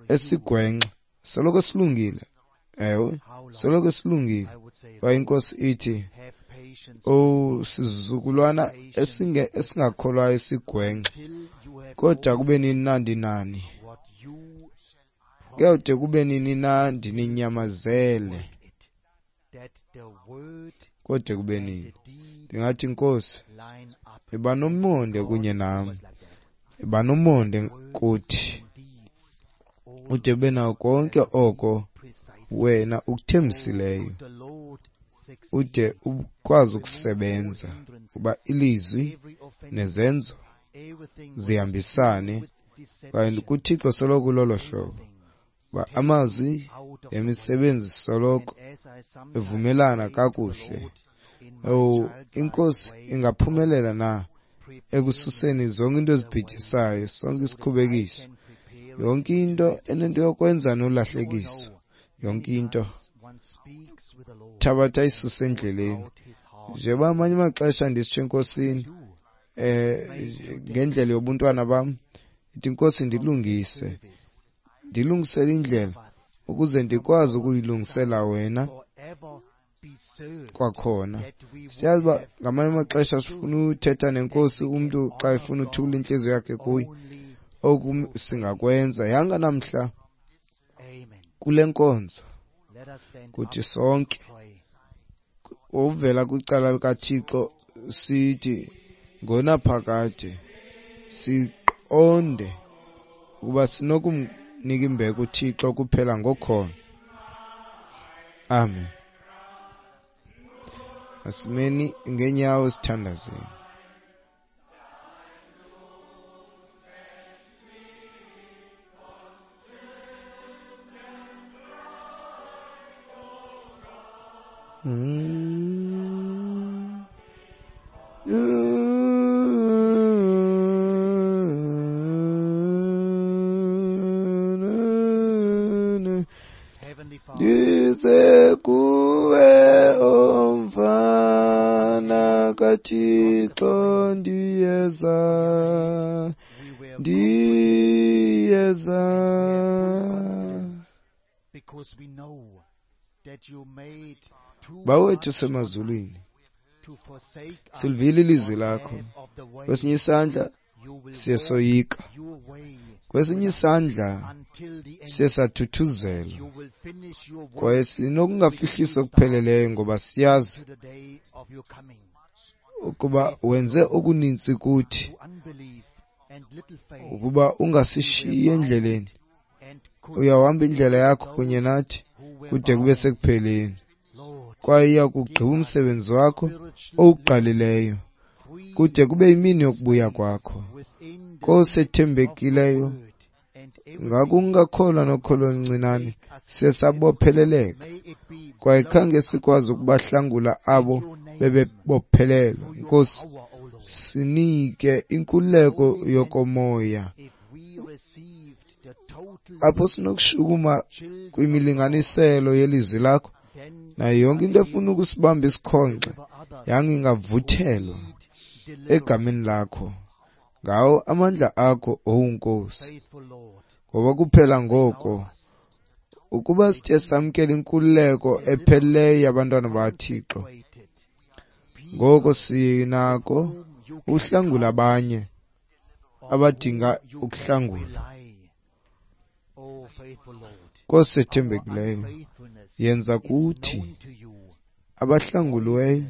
esigwenxa, soloko silungile. Ewe, soloko silungile. Kwaye iNkosi ithi, owu sizukulwana esinge esingakholwayo esigwenxa, kodwa kube nini na ndinani? Kuyawude kube nini na ndininyamezele? Kodwa kube nini? Ndingathi, Nkosi, yiba nomonde kunye nam, yiba nomonde kuthi, ude ube nawo konke oko wena ukuthembisileyo, ude ukwazi ukusebenza, kuba ilizwi nezenzo zihambisane. Kwaye kuThixo soloko lolo hlobo, uba amazwi nemisebenzi soloko evumelana kakuhle. Oh, iNkosi ingaphumelela na ekususeni zonke into ezibhidisayo, sonke isikhubekiso, yonke into enento yokwenza nolahlekiso, yonke into thabatha isuse endleleni. Njengoba amanye amaxesha ndisitsho eNkosini, eh ngendlela yobuntwana bam, ithi Nkosi ndilungise, ndilungisele indlela ukuze ndikwazi ukuyilungisela wena kwakhona. Siyazi uba ngamanye amaxesha sifuna uthetha nenkosi, umntu xa efuna uthula intliziyo yakhe kuye, oku singakwenza. Yanga namhla kule nkonzo kuthi sonke ovela kwicala likaThixo sithi ngonaphakade siqonde ukuba sinokumnika imbeko uThixo kuphela ngokholo. Amen. Asimeni ngeenyawo sithandazeni. Mm. Ndize kuwe omfana kaThixo, ndiyeza, ndiyeza. Bawethu semazulwini, silivile ilizwi lakho. Kwesinye isandla siye soyika, kwesinye isandla siye sathuthuzelwa, kwaye sinokungafihlisi okupheleleyo ngoba siyazi ukuba wenze okuninzi kuthi, ukuba ungasishiyi endleleni, uyawuhamba indlela yakho kunye nathi kude kube sekupheleni, kwaye iya kugqiba umsebenzi wakho owuqalileyo kude kube yimini yokubuya kwakho. Nkosi ethembekileyo, ngakungakholwa nokholo oluncinane siye sabopheleleka, kwaye khange sikwazi ukubahlangula abo bebebophelelwa. Nkosi, sinike inkululeko yokomoya apho sinokushukuma kwimilinganiselo yelizwi lakho, nayo yonke into efuna ukusibamba isikhonxe yangingavuthelwa egameni lakho, ngawo amandla akho, owu Nkosi. Ngoba kuphela ngoko ukuba sithe samkela inkululeko epheleleyo yabantwana bakaThixo, ngoko sinako uhlangula abanye abadinga ukuhlangulwa. Nkosi ethembekileyo, yenza kuthi abahlanguliweyo,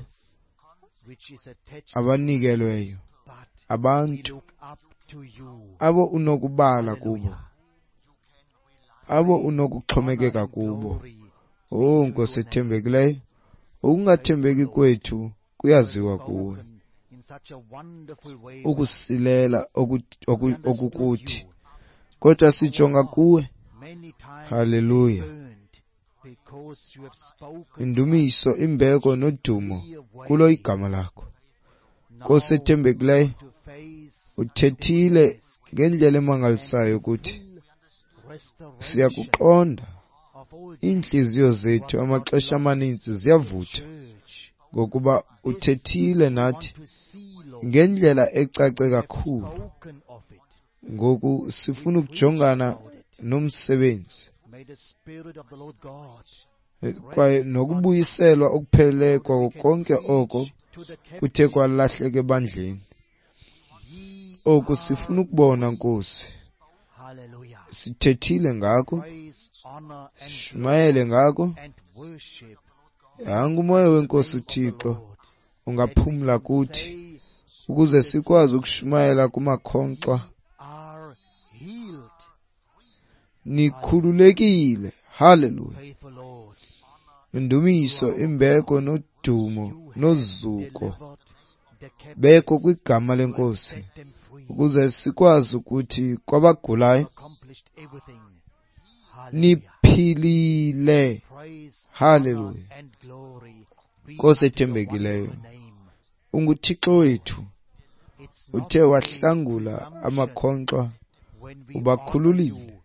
abanikelweyo, abantu abo unokubala kubo, abo unokuxhomekeka kubo. Oh Nkosi ethembekileyo, ukungathembeki kwethu kuyaziwa kuwe, ukusilela okukuthi, kodwa sijonga kuwe. Haleluya. Indumiso, imbeko nodumo kulo igama lakho. Nkosi ethembekileyo, uthethile ngendlela emangalisayo ukuthi siyakuqonda Iintliziyo zethu amaxesha amaninzi ziyavutha ngokuba uthethile nathi ngendlela ecace kakhulu. Ngoku sifuna ukujongana nomsebenzi kwaye nokubuyiselwa okupheleleyo kwako konke oko kuthe kwalahleka ebandleni. Oku sifuna ukubona, Nkosi. Sithethile ngako, sishumayele ngako. Yanga umoya weNkosi uThixo ungaphumla kuthi ukuze sikwazi ukushumayela kumakhonkxwa. Nikhululekile. Haleluya. Indumiso, imbeko nodumo nozuko bekho kwigama leNkosi ukuze sikwazi ukuthi kwabagulayo niphilile. Haleluya. Nkosi ethembekileyo, unguThixo wethu, uthe wahlangula amakhonkxwa, ubakhululile,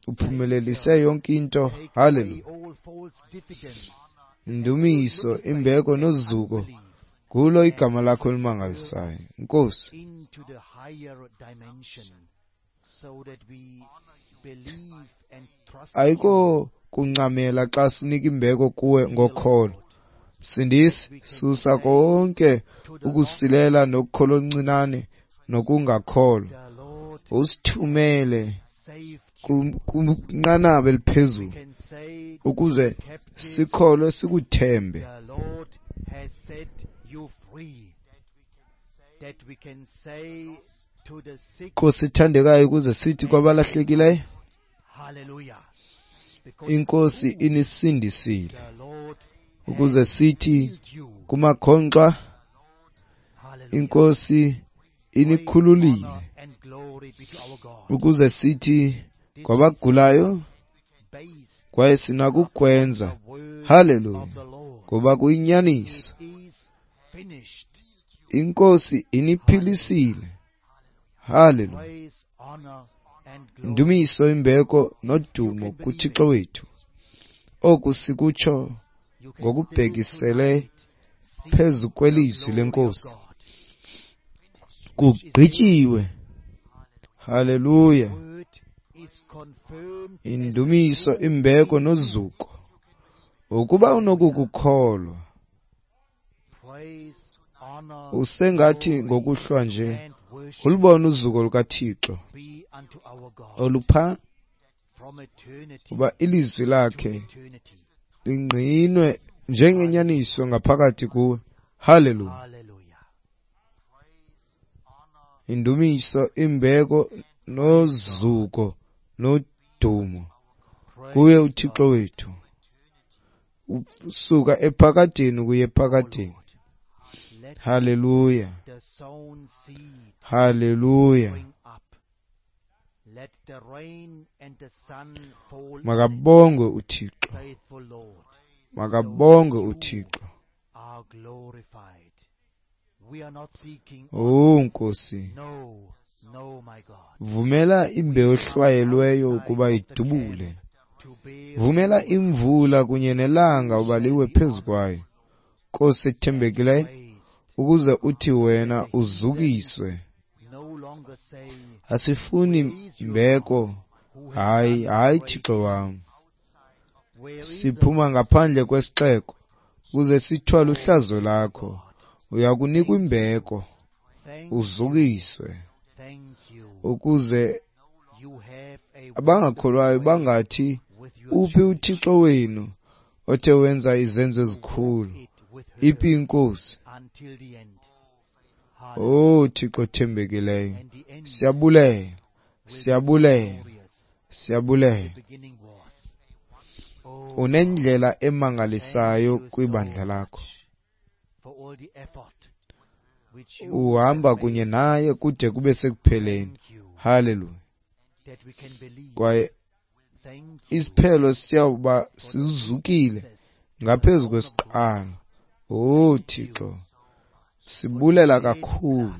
uphumelelise yonke into. Haleluya. Indumiso, imbeko nozuko kulo igama lakho elimangalisayo, Nkosi. Ayikho kuncamela xa sinika imbeko kuwe ngokholo. Sindisi, susa konke ukusilela nokukholo oncinane nokungakholwa, usithumele kwinqanaba eliphezulu ukuze sikholwe sikuthembe. Nkosi ethandekayo, ukuze sithi kwabalahlekileyo, iNkosi inisindisile, ukuze sithi kumakhonkxwa, iNkosi inikhululile, ukuze sithi kwabagulayo, kwaye sinakukwenza. Haleluya, ngoba kuyinyaniso, iNkosi iniphilisile. Haleluya. Indumiso, imbeko nodumo kuThixo wethu. Oku sikutsho ngokubhekisele phezu kwelizwi leNkosi. Kugqityiwe. Haleluya. Indumiso, imbeko nozuko. Ukuba unokukukholwa, usengathi ngokuhlwa nje ulubone uzuko lukaThixo olupha, uba ilizwi lakhe lingqinwe njengenyaniso ngaphakathi kuwe. Haleluya. Indumiso, imbeko nozuko nodumo kuye uThixo wethu, usuka ephakadeni kuye ephakadeni. Haleluya. Haleluya. Makabongwe uThixo. Makabongwe uThixo. Oh Nkosi, vumela imbewu ehlwayelweyo ukuba idubule. Vumela imvula kunye nelanga uba liwe phezu kwayo, Nkosi ethembekileyo, ukuze uthi wena uzukiswe. Asifuni mbeko, hayi, hayi Thixo wam. Siphuma ngaphandle kwesixeko ukuze sithwale uhlazo lakho. Uyakunikwa imbeko, uzukiswe, ukuze abangakholwayo bangathi, uphi uThixo wenu othe wenza izenzo ezikhulu? Iphi iNkosi? Oh Thixo othembekileyo, siyabulela, siyabulela, siyabulela. Unendlela emangalisayo kwibandla lakho. Uhamba kunye naye kude kube sekupheleni. Haleluya. Kwaye isiphelo siyawuba sizukile ngaphezu kwesiqalo. Oh Thixo, sibulela kakhulu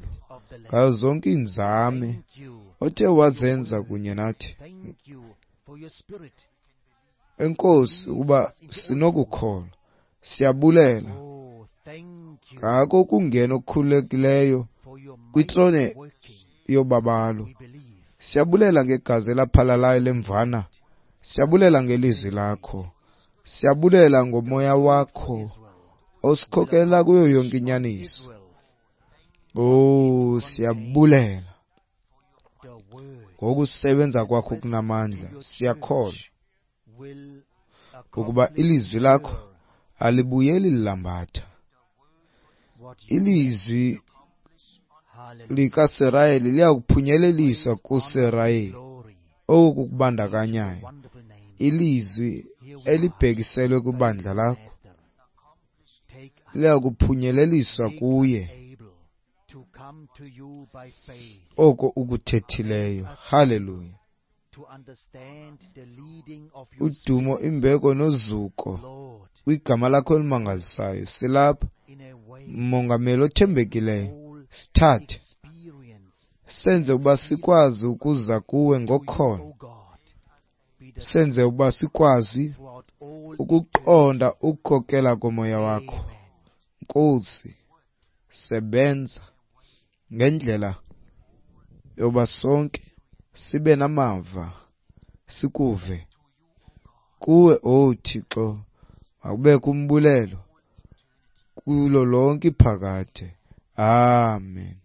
ngazo zonke iinzame othe wazenza kunye nathi. Enkosi ukuba sinokukholwa. Siyabulela ngako ukungena okukhululekileyo kwitrone yobabalo. Siyabulela ngegazi elaphalalayo lemvana. Siyabulela ngelizwi lakho. Siyabulela ngomoya wakho osikhokela kuyo yonke inyaniso. Oh, siyabulela ngokusebenza kwakho kunamandla. Siyakholwa ukuba ilizwi lakho alibuyeli lilambatha. Ilizwi likaSirayeli liyakuphunyeleliswa kuSirayeli. Oku kubandakanyayo ilizwi elibhekiselwe kwibandla lakho liyakuphunyeleliswa kuye oko ukuthethileyo. Haleluya. Udumo, imbeko nozuko kwigama lakho elimangalisayo. Silapha, Mongameli othembekileyo, sithathe senze ukuba sikwazi ukuza kuwe ngokholo, senze ukuba sikwazi ukuqonda ukukhokela komoya wakho. Nkosi, sebenza ngendlela yoba sonke sibe namava, sikuve kuwe, oh Thixo. Makubekho umbulelo kulo lonke iphakade. Amen.